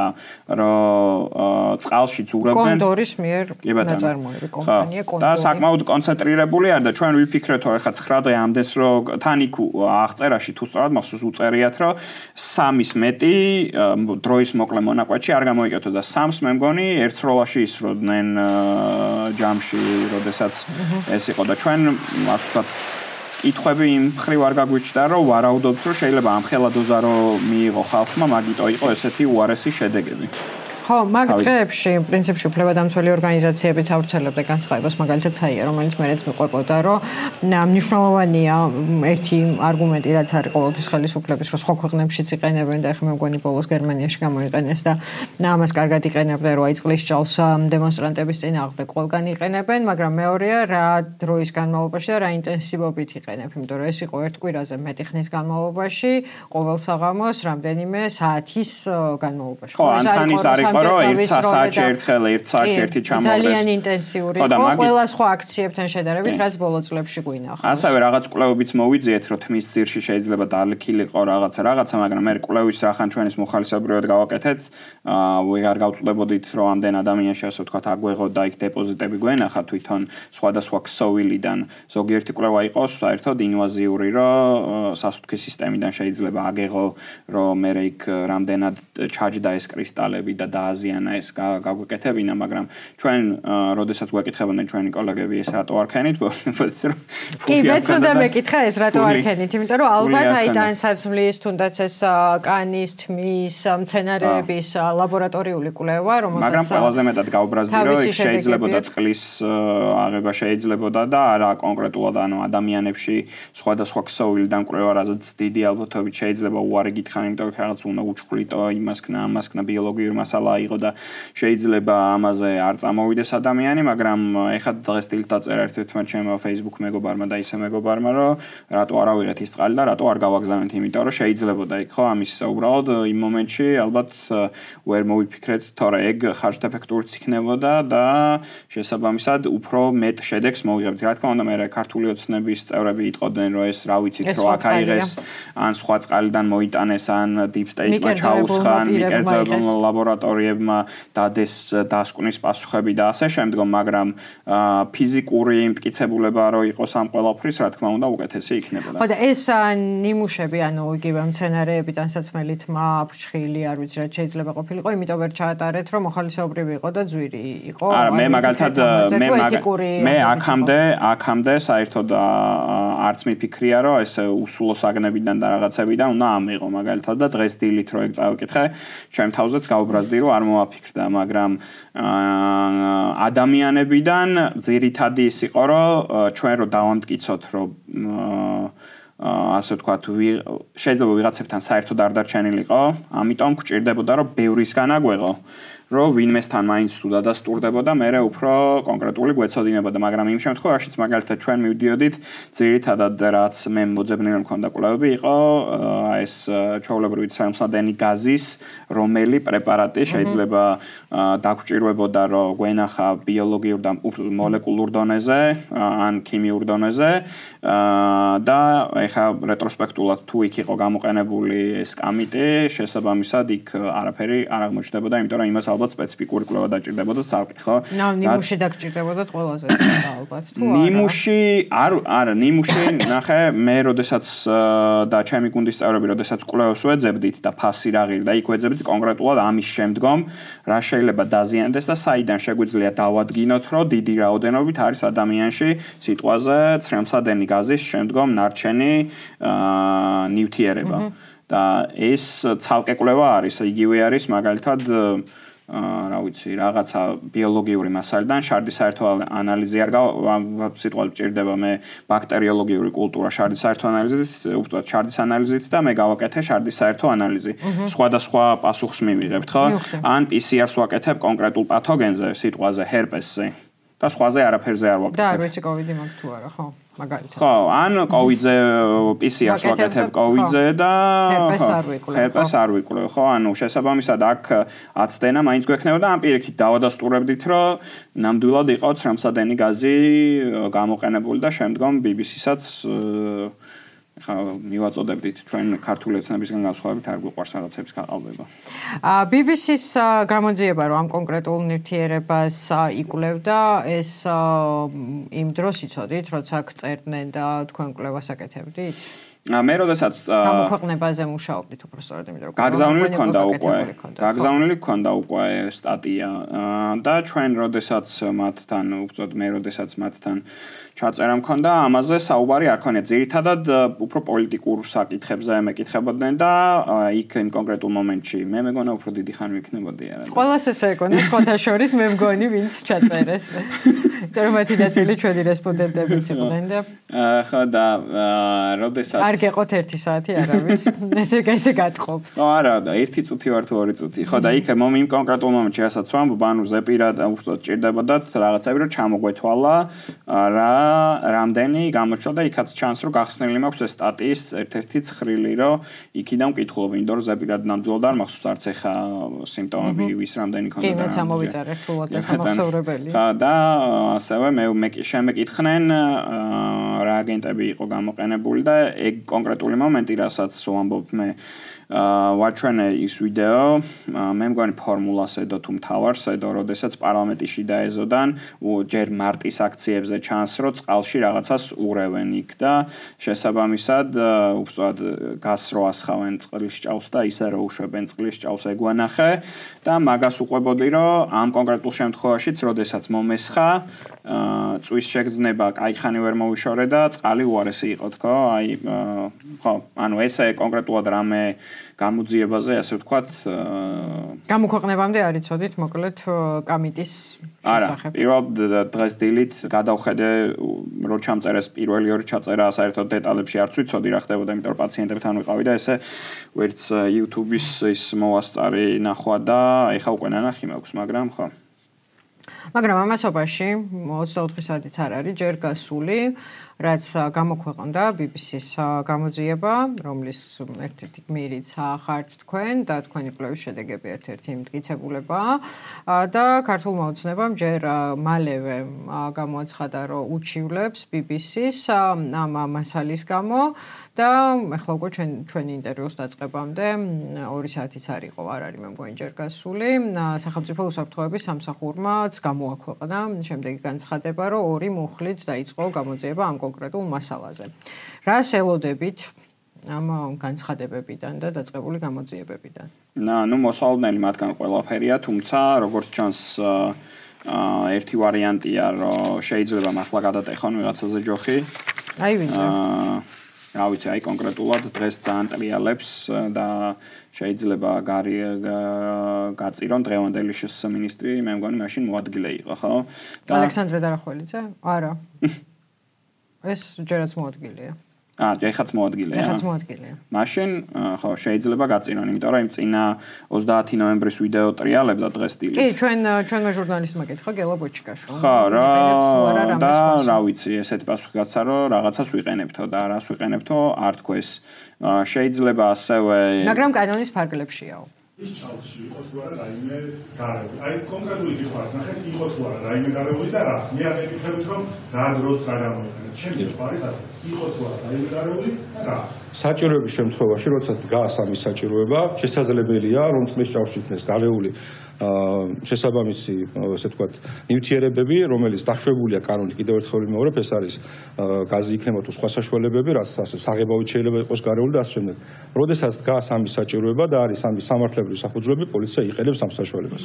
რომ წყალშიც ურევდნენ. კონდორის მიერ ნაწარმოები კომპანია კონდორი. და საკმაოდ კონცენტრირებული არის და ჩვენ ვიფიქრეთ, რომ ეხლა 9 დღე ამდენს, რომ თან იქ აღწერაში თუ სწორად მახსოვს უწერიათ, რომ 3-ის მეტი დროის მოკლე მონაკვეთში არ გამოიკეთო და 3-ს მე მგონი ერთ სროლაში ისროდნენ ჯამში, როდესაც ეს იყო და ჩვენ ასე ვთქვათ კითხვები იმ მხრივ არ გაგვიჩნდა, რომ ვარაუდობთ, რომ შეიძლება ამ ხელა დოზა რომ მიიღო ხალხმა, მაგიტო იყო ესეთი უარესი შედეგები. ხო, მაგ დღეებში პრინციპში უფლებადამცველი ორგანიზაციებიც ავრცელებდა განცხადებას, მაგალითად საია, რომელიც მეც მიყვებოდა, რომ მნიშვნელოვანია ერთი არგუმენტი, რაც არის ყოველთვის ხელისუფლების, რომ სხვა ქვეყნებშიც იყენებენ და ახლა მე მგონი ბოლოს გერმანიაში გამოიყენეს და ამას კარგად იყენებდნენ, რომ აი წყლის ჭალს დემონსტრანტების წინააღმდეგ ყველგან იყენებენ, მაგრამ მეორეა რა დროის განმავლობაში და რა ინტენსივობით იყენებ, იმიტომ რომ ეს იყო ერთ კვირაზე მეტი ხნის განმავლობაში, ყოველ საღამოს რამდენიმე საათის განმავლობაში. ხო, ანთანის არის რომ 1 საათში ერთხელ 1 საათში ერთი ჩამოღდეს. ძალიან ინტენსიური იყო ყველა სხვა აქციებთან შედარებით, რაც ბოლო წლებში გვინახავს. ასევე რაღაც კვლევებიც მოვიძიეთ, რომ თმის ძირში შეიძლება დალიქილიყო რაღაცა, მაგრამ მე კვლევის რახან ჩვენის მოხალისებრიოდ გავაკეთეთ, ვეღარ გავწულებოდით, რომ ამდენ ადამიანში ასე ვთქვათ აგვეღო და იქ დეპოზიტები გვენახა თვითონ სხვადასხვა ქსოვილიდან. ზოგიერთი კვლევა იყოს საერთოდ ინვაზიური, რომ სასუქის სისტემიდან შეიძლება აგეღო, რომ მე იქ რამდენად ჩაჯდა ეს კრისტალები და აზიანა ეს გაგვეკეთებინა, მაგრამ ჩვენ როდესაც გვეკითხებოდნენ ჩვენი კოლეგები ეს რატო არ ქენით, კი, მეც უნდა მეკითხა ეს რატო არ ქენით, იმიტომ რომ ალბათ აი დანსაცმლის, თუნდაც ეს კანის, თმის, მცენარეების ლაბორატორიული კვლევა, რომელსაც მაგრამ ყველაზე მეტად გავბრაზდი, რომ იქ შეიძლებოდა წყლის აღება შეიძლებოდა და არა კონკრეტულად ანუ ადამიანებში სხვადასხვა ქსოვილიდან კვლევა, რაც დიდი ალბათობით შეიძლება უარი გითხრან, იმიტომ რომ რაღაც უნდა უჩქვლიტო, იმასქნა, ამასქნა ბიოლოგიური მასალა იყო და შეიძლება ამაზე არ წამოვიდეს ადამიანი, მაგრამ ეხლა დღეს დილით დაწერა ერთ-ერთმა ჩემო Facebook მეგობარმა და ისე მეგობარმა, რომ რატო არ ავიღეთ ის წყალი და რატო არ გავაგზავნეთ, იმიტომ რომ შეიძლებოდა იქ ხო ამის უბრალოდ იმ მომენტში ალბათ ვერ მოვიფიქრეთ, თორე ეგ ხარჯთეფექტურიც იქნებოდა და შესაბამისად უფრო მეტ შედეგს მოვიღებთ. რა თქმა უნდა, მე ქართული ოცნების წევრები იტყოდნენ, რომ ეს რა ვიცით, რომ აქ აიღეს ან სხვა წყალიდან მოიტანეს, ან deep state-მა ჩაუსხან, მიკერძებულ ლაბორატორია ლაბორატორიებმა დადეს დასკვნის პასუხები და ასე შემდგომ, მაგრამ ფიზიკური მტკიცებულება რო იყოს ამ ყველაფრის, რა თქმა უნდა, უკეთესი იქნებოდა. ხო და ეს ნიმუშები, ანუ იგივე მცენარეებიდან საცმელი თმა, ფრჩხილი, არ ვიცი რა შეიძლება ყოფილიყო, იმიტომ ვერ ჩაატარეთ, რომ მოხალისეობრივი იყო და ძვირი იყო. არა, მე მაგალითად მე აქამდე საერთოდ არც მიფიქრია, რომ ეს უსულო საგნებიდან და რაღაცებიდან უნდა ამიღო მაგალითად და დღეს დილით რო ეგ წავიკითხე, ჩემ თავზეც გაუბრაზდი, რომ არ მომაფიქრდა, მაგრამ ადამიანებიდან ძირითადი ის იყო, რომ ჩვენ რო დავამტკიცოთ, რომ ასე ვთქვათ, შეიძლება ვიღაცებთან საერთოდ არ დარჩენილიყო, ამიტომ გვჭირდებოდა, რომ ბევრისგან აგვეღო. რომ ვინმესთან მაინც თუ დადასტურდებოდა, მერე უფრო კონკრეტული გვეცოდინებოდა, მაგრამ იმ შემთხვევაშიც მაგალითად ჩვენ მივდიოდით, ძირითადად რაც მე მოძებნილი მქონდა კვლევები იყო ეს ჩვეულებრივი ცრემლსადენი გაზის რომელი პრეპარატი შეიძლება დაგვჭირვებოდა, რომ გვენახა ბიოლოგიურ და მოლეკულურ დონეზე ან ქიმიურ დონეზე და ეხა რეტროსპექტულად თუ იქ იყო გამოყენებული ეს კამიტი, შესაბამისად იქ არაფერი არ აღმოჩნდებოდა, იმიტომ რომ იმას ალბათ სპეციფიკური კვლევა დაჭირდებოდა ცალკე, ხო? ნიმუში დაგჭირდებოდა ყველაზე ალბათ, თუ არა. ნიმუში ნახე, მე როდესაც და ჩემი გუნდის წევრები როდესაც კვლევებს ვეძებდით და ფასი რა ღირდა, იქ ვეძებდით კონკრეტულად ამის შემდგომ რა შეიძლება დაზიანდეს და საიდან შეგვიძლია დავადგინოთ, რომ დიდი რაოდენობით არის ადამიანში სიტყვაზე ცრემლსადენი გაზის შემდგომ ნარჩენი ნივთიერება. და ეს ცალკე კვლევა არის, იგივე არის მაგალითად რა ვიცი, რაღაცა ბიოლოგიური მასალიდან შარდის საერთო ანალიზი არ სიტყვა ჭირდება მე ბაქტერიოლოგიური კულტურა შარდის საერთო ანალიზით, უბრალოდ შარდის ანალიზით და მე გავაკეთე შარდის საერთო ანალიზი. სხვადასხვა პასუხს მივიღებთ, ხო? ან PCR-ს ვაკეთებ კონკრეტულ პათოგენზე, სიტყვაზე ჰერპესზე. და სხვაზე არაფერზე არ ვაკეთებ. და არ ვიცი COVID-ი მაგ თუ არა, ხო? მაგალითად. ხო, ან COVID-ზე PCR-ს ვაკეთებ COVID-ზე და ჰერპეს არ ვიკვლევ, ხო? ანუ შესაბამისად აქ აცდენა მაინც გვექნებოდა ამ პირიქით დავადასტურებდით, რომ ნამდვილად იყო ცრემლსადენი გაზი გამოყენებული და შემდგომ BBC-საც ხა მივაწოდებდით ჩვენ ქართული ეთნებისგან განსხვავებით არ გვიყვარს რაღაცების გაყალბება. BBC-ს გამოძიება რომ ამ კონკრეტულ ნივთიერებას იკვლევდა, ეს იმ დროს იცოდით, როცა წერდნენ და თქვენ კვლევას აკეთებდით? მე როდესაც გამოქვეყნებაზე მუშაობდით უბრალოდ იმიტომ რომ გაგზავნილი ქონდა უკვე სტატია და ჩვენ როდესაც მათთან უბრალოდ მე როდესაც მათთან ჩაწერა მქონდა ამაზე საუბარი არ ქონია ძირითადად უფრო პოლიტიკურ საკითხებზე მეკითხებოდნენ და იქ იმ კონკრეტულ მომენტში მე მეგონა უფრო დიდი ხანი ვიქნებოდი არა ყველას ესე ეკონა სხვათა შორის მე მგონი ვინც ჩაწერეს იმიტომ რომ მათი ნაწილი ჩვენი რესპონდენტებიც იყვნენ და ხო და როდესაც არ გეყოთ 1 საათი არავის ესე გატყობთ ხო არა და 1 წუთი ვარ თუ 2 წუთი ხო და იქ იმ კონკრეტულ მომენტში რასაც ვამბობ ანუ ზეპირა უბრალოდ ჭირდებოდათ რაღაცები რომ ჩამოგვეთვალა რა რამდენი გამოჩნდა და იქაც ჩანს რომ გახსნილი მაქვს ეს სტატიის ერთ-ერთი ცხრილი რომ იქიდან ვკითხულობ იმიტომ რომ ზეპირად ნამდვილად არ მახსოვს არც ეხა სიმპტომები ვის რამდენი ქონდა კი მეც ამოვიწერე რთულად და სამახსოვრებელი ხა და ასევე მე შემეკითხნენ რა აგენტები იყო გამოყენებული და ეგ კონკრეტული მომენტი რასაც ვამბობ მე ვაჩვენე ის ვიდეო მე მგონი ფორმულას ედო თუ მთავარს ედო როდესაც პარლამენტში დაეზოდან ჯერ მარტის აქციებზე ჩანს რომ წყალში რაღაცას ურევენ იქ და შესაბამისად უბრალოდ გას რო ასხავენ წყლის ჭაუს და ისე რო უშვებენ წყლის ჭაუს ეგვანახე და მაგას უყვებოდი რომ ამ კონკრეტულ შემთხვევაშიც როდესაც მომესხა წვის შეგრძნება კაიხანი ვერ მოვიშორე და წყალი უარესი იყო თქო აი ხო ანუ ესე კონკრეტულად რამე გამოძიებაზე ასე ვთქვათ გამოქვეყნებამდე არ იცოდით მოკლედ კამიტის შესახებ. არა, პირველ დღეს დილით გადავხედე რო ჩამწერეს პირველი ორი ჩაწერა საერთოდ დეტალებში არც ვიცოდი რა ხდებოდა, იმიტომ რომ პაციენტებთან ვიყავი და ესე ვერც YouTube-ის ის მოვასწარი ნახვა და ეხა უკვე ნანახი მაქვს, მაგრამ ხო მაგრამ ამასობაში 24 საათიც არ არის ჯერ გასული რაც გამოქვეყნდა BBC-ს გამოძიება, რომლის ერთ-ერთი გმირიც ხართ თქვენ და თქვენი კვლევის შედეგები ერთ-ერთი მტკიცებულებაა და ქართულმა ოცნებამ ჯერ მალევე გამოაცხადა, რომ უჩივლებს BBC-ს ამ მასალის გამო და ახლა უკვე ჩვენი ინტერვიუს დაწყებამდე 2 საათიც არ იყო, არ არის მე მგონი ჯერ გასული. სახელმწიფო უსაფრთხოების სამსახურმაც გამოაქვეყნა შემდეგი განცხადება, რომ 2 მუხლით დაიწყო გამოძიება ამ კონკრეტულ მასალაზე. რას ელოდებით ამ განცხადებებიდან და დაწყებული გამოძიებებიდან? მოსალოდნელი მათგან ყველაფერია, თუმცა როგორც ჩანს ერთი ვარიანტია, რომ შეიძლება მართლა გადატეხონ ვიღაცაზე ჯოხი. აი ვიცი. რა ვიცი, აი კონკრეტულად დღეს ძალიან ტრიალებს და შეიძლება გაწირონ დღევანდელი მინისტრი, მე მგონი მაშინ მოადგილე იყო, ხო? ალექსანდრე დარახველიძე? არა. ეს ჯერაც მოადგილეა. ეხაც მოადგილეა. ეხაც მოადგილეა. მაშინ ხო შეიძლება გაწირონ, იმიტომ რომ იმ წინა 30 ნოემბრის ვიდეო ტრიალებდა დღეს სტილი. კი, ჩვენმა ჟურნალისტმა კითხა გელა ბოჩიკაშო. ხო, და რა ვიცი, ესეთი პასუხი გაცა, რომ რაღაცას ვიყენებთო და რას ვიყენებთო, არ თქვეს. შეიძლება ასევე მაგრამ კანონის ფარგლებშიაო. ის ჩალში იყო თუ არა რაიმე გარეული. აი კონკრეტული კითხვას ნახეთ, იყო თუ არა რაიმე გარეული და რა. მე არ მეკითხებით რომ რა დროს რა გამოიყენა. ჩემი კითხვა არის ასე. იყო თუ არა რაიმე გარეული და რა. საჭიროების შემთხვევაში, როდესაც დგას ამის საჭიროება, შესაძლებელია რომ წყლის ჭაოში იქნეს გარეული შესაბამისი, ესე ვთქვათ, ნივთიერებები, რომელიც დაშვებულია კანონით კიდევ ერთხელ ვიმეორებ, ეს არის გაზი იქნება თუ სხვა საშუალებები, რაც ასე საღებავით შეიძლება იყოს გარეული და ასე შემდეგ. როდესაც დგას ამის საჭიროება და არის ამის სამართლებრივი საფუძვლები, პოლიცია იყენებს ამ საშუალებას.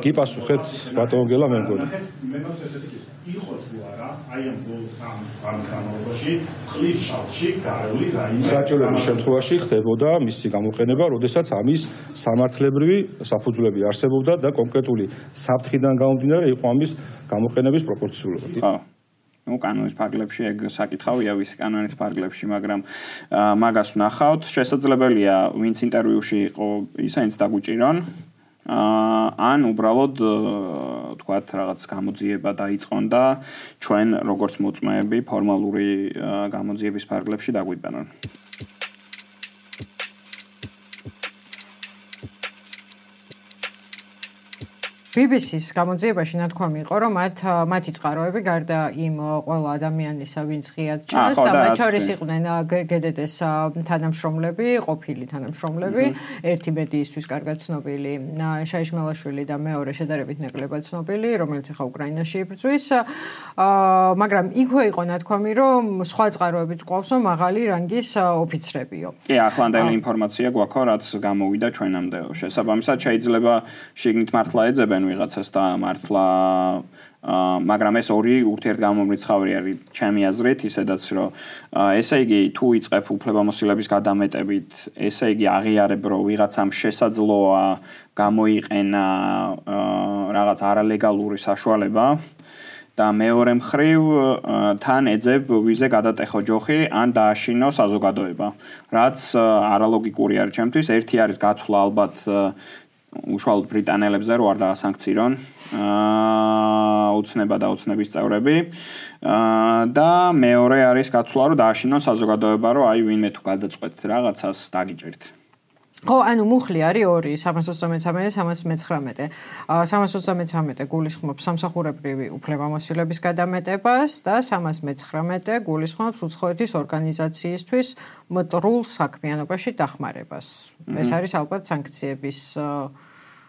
კი პასუხეთ, ბატონო გელა მე მგონი. მე მაქვს ესეთი კითხვა. იყო თუ არა, აი ამ განმავლობაში წყლის ჭაოში გარეული რაიმე საჭიროების შემთხვევაში ხდებოდა მისი გამოყენება, როდესაც ამის სამართლებრივი საფუძვლები არსებობდა და კონკრეტული საფრთხიდან გამომდინარე იყო ამის გამოყენების პროპორციულობა. ხო. კანონის ფარგლებში ეგ საკითხავია ვის კანონის ფარგლებში, მაგრამ მაგას ვნახავთ, შესაძლებელია ვინც ინტერვიუში იყო, ისინიც დაგვიჭირონ. ან უბრალოდ თქვათ რაღაც გამოძიება დაიწყონ და ჩვენ როგორც მოწმეები ფორმალური გამოძიების ფარგლებში დაგვიტანონ. BBC-ს გამოძიებაში ნათქვამი იყო, რომ მათი წყაროები გარდა იმ ყველა ადამიანისა, ვინც ღიად ჭრას და მათ შორის იყვნენ GDD-ს თანამშრომლები, ყოფილი თანამშრომლები, ერთი მედიისთვის კარგად ცნობილი შაიშმელაშვილი და მეორე შედარებით ნაკლებად ცნობილი, რომელიც ახლა უკრაინაში იბრძვის, მაგრამ იქვე იყო ნათქვამი, რომ სხვა წყაროებიც ყავს, რომ მაღალი რანგის ოფიცრებიო. კი, ახლანდელი ინფორმაცია გვაქვს, რაც გამოვიდა ჩვენამდე. შესაბამისად შეიძლება შიგნით მართლა ეძებენ ვიღაცას და მართლა მაგრამ ეს ორი ურთიერთგამომრიცხავი არის ჩემი აზრით, ისედაც რომ ესე იგი თუ იწყებ უფლებამოსილების გადამეტებით, ესე იგი აღიარებ რომ ვიღაცამ შესაძლოა გამოიყენა რაღაც არალეგალური საშუალება და მეორე მხრივ თან ეძებ ვიზე გადატეხო ჯოხი ან დააშინო საზოგადოება, რაც არალოგიკური არის ჩემთვის. ერთი არის გათვლა ალბათ უშუალოდ ბრიტანელებზე რო არ დაასანქცირონ უცნება და უცნების წევრები და მეორე არის გათვლა რომ დააშინონ საზოგადოება რომ აი ვინმე თუ გადაწყვეტ რაღაცას დაგიჭერთ. ხო, ანუ მუხლი არის ორი, 333 და 319. 333 გულისხმობს სამსახურებრივი უფლებამოსილების გადამეტებას და 319 გულისხმობს უცხოეთის ორგანიზაციისთვის მტრულ საქმიანობაში დახმარებას. ეს არის ალბათ სანქციების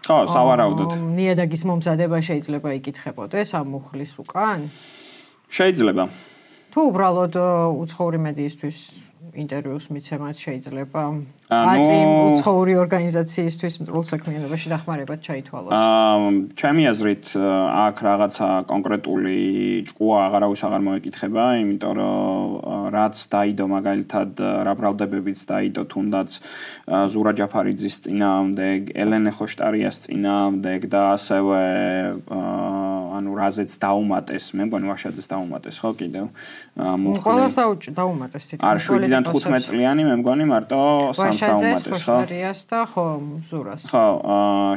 ხო, სავარაუდოდ. ნიადაგის მომზადება შეიძლება იკითხებოდეს ამ მუხლის უკან? შეიძლება. თუ უბრალოდ უცხოური მედიისთვის ინტერვიუს მიცემაც შეიძლება აწი უცხოური ორგანიზაციისთვის მტრულ საქმიანობაში დახმარებად ჩაითვალოს. ჩემი აზრით აქ რაღაცა კონკრეტული ჭკუა აღარავის აღარ მოეკითხება, იმიტომ რომ რაც დაიდო მაგალითად რა ბრალდებებიც დაიდო თუნდაც ზურა ჯაფარიძის წინააღმდეგ, ელენე ხოშტარიას წინააღმდეგ და ასევე ანუ რაზეც დაუმატეს, მე მგონი ვაშაძეს დაუმატეს, ხო კიდევ. ყველას დაუმატეს თითქოს. არ 7-დან 15 წლიანი მე მგონი მარტო 3 დაუმატეს, ხო? ვაშაძეს და ხო, ზურას. ხო,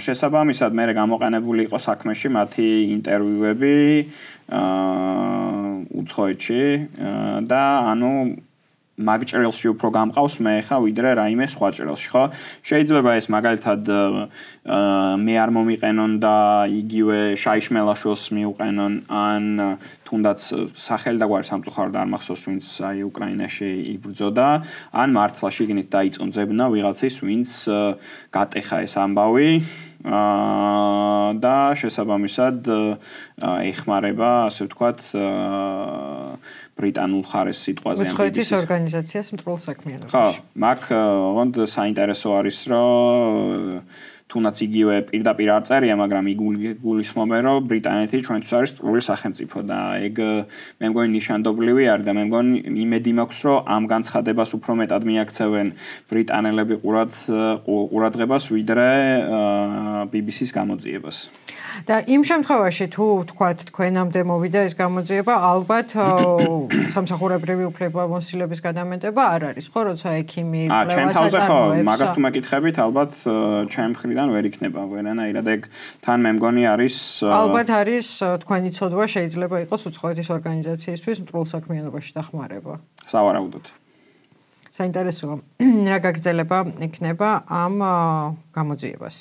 შესაბამისად მე გამოყენებული იყო საქმეში მათი ინტერვიუები უცხოეთში და ანუ მაგ ჭრილში უფრო გამყავს მე ხა ვიდრე რაიმე სხვა ჭრილში, ხო? შეიძლება ეს მაგალითად მე არ მომიყენონ და იგივე შაიშმელაშვილს მიუყენონ ან თუნდაც სახელი და გვარი სამწუხაროდ არ მახსოვს ვინც აი უკრაინაში იბრძოდა, ან მართლა შიგნით დაიწყო ძებნა ვიღაცის ვინც გატეხა ეს ამბავი და შესაბამისად ეხმარება, ასე ვთქვათ, ბრიტანულ ხარეს სიტყვაზე. უცხოეთის ორგანიზაციას მტრულ საქმიანობაში. ხო, მაგ ოღონდ საინტერესო არის, რომ თუნდაც იგივე პირდაპირ არ წერია, მაგრამ იგულისხმობენ, რომ ბრიტანეთი ჩვენთვის არის ტყუილი სახელმწიფო და ეგ მე მგონი ნიშანდობლივი არის და მე მგონი იმედი მაქვს, რომ ამ განცხადებას უფრო მეტად მიაქცევენ ბრიტანელები ყურადღებას ვიდრე BBC-ს გამოძიებას. და იმ შემთხვევაში თუ თქვათ თქვენამდე მოვიდა ეს გამოძიება, ალბათ სამსახურებრივი უფლებამოსილების გადამეტება არ არის, ხო, როცა ექიმი კვლევას აწარმოებს. მაგას თუ მეკითხებით, ალბათ ჩემ მხრიდან ვერ იქნება ვერანაირად ეგ თან მე მგონი არის ალბათ არის თქვენი ცოდვა შეიძლება იყოს უცხოეთის ორგანიზაციისთვის მტრულ საქმიანობაში დახმარება. სავარაუდოდ. საინტერესოა რა გაგრძელება იქნება ამ გამოძიებას.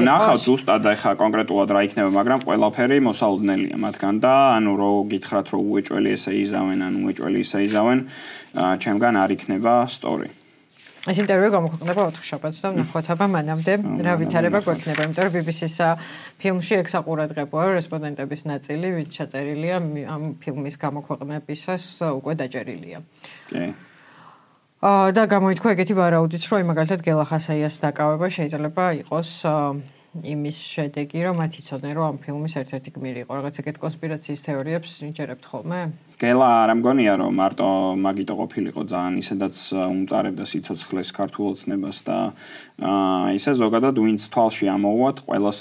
ნახავთ ზუსტად ახლა კონკრეტულად რა იქნება, მაგრამ ყველაფერი მოსალოდნელია მათგან და ანუ რო გითხრათ რომ უეჭველი ესე იზავენ, ან უეჭველი ისე იზავენ, ჩემგან არ იქნება სწორი. ეს ინტერვიუ გამოქვეყნდება 4 შაბათს და ვნახოთ აბა მანამდე რა ვითარება გვექნება, იმიტომ რომ BBC-ს ფილმში ექსაყურადღებოა რესპონდენტების ნაწილი, ვინც ჩაწერილია ამ ფილმის გამოქვეყნებისას უკვე დაჭერილია. კი. და გამოითქვა ეგეთი ვარაუდიც, რომ მაგალითად გელა ხასაიას დაკავება შეიძლება იყოს იმის შედეგი, რომ მათ იცოდნენ, რომ ამ ფილმის ერთ-ერთი გმირი იყო. რაღაც ეგეთ კონსპირაციის თეორიებს იჭერებთ ხოლმე? გელა არ მგონია, რომ მარტო მაგიტო ყოფილიყო ძალიან ისედაც უმწარებდა სიცოცხლეს ქართულ ოცნებას და ისე ზოგადად ვინც თვალში ამოუვათ, ყველას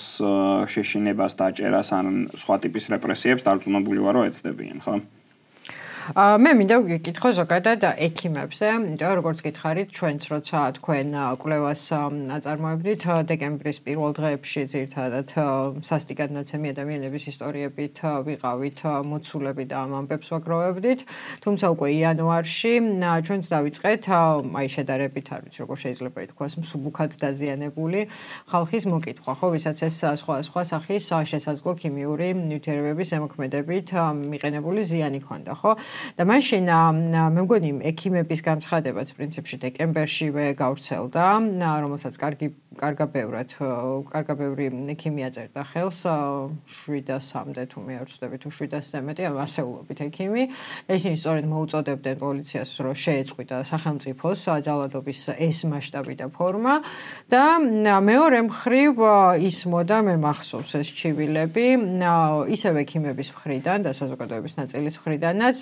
შეშინებას დაჭერას ან სხვა ტიპის რეპრესიებს დარწმუნებული ვარ, რომ ეცდებიან, ხო? მე მინდა გიკითხო ზოგადად ექიმებზე, იმიტომ რომ როგორც გითხარით, ჩვენც როცა თქვენ კვლევას აწარმოებდით დეკემბრის პირველ დღეებში ძირითადად სასტიკად ნაცემი ადამიანების ისტორიებით ვიყავით მოცულები და ამ ამბებს ვაგროვებდით, თუმცა უკვე იანვარში ჩვენც დავიწყეთ აი შედარებით არ ვიცი როგორ შეიძლება ითქვას მსუბუქად დაზიანებული ხალხის მოკითხვა, ხო, ვისაც ეს სხვა სახის შესაძლო ქიმიური ნივთიერებების ზემოქმედებით მიყენებული ზიანი ქონდა, ხო? და მაშინ მე მგონი ექიმების განცხადებაც პრინციპში დეკემბერშივე გავრცელდა, რომელსაც კარგა ბევრი ექიმი აწერდა ხელს 700-მდე თუ მე არ ვცდები თუ 700-ზე მეტი ასეულობით ექიმი და ისინი სწორედ მოუწოდებდნენ პოლიციას რომ შეეწყვიტა სახელმწიფოს ძალადობის ეს მასშტაბი და ფორმა და მეორე მხრივ ისმოდა მე მახსოვს ეს ჩივილები ისევ ექიმების მხრიდან და საზოგადოების ნაწილის მხრიდანაც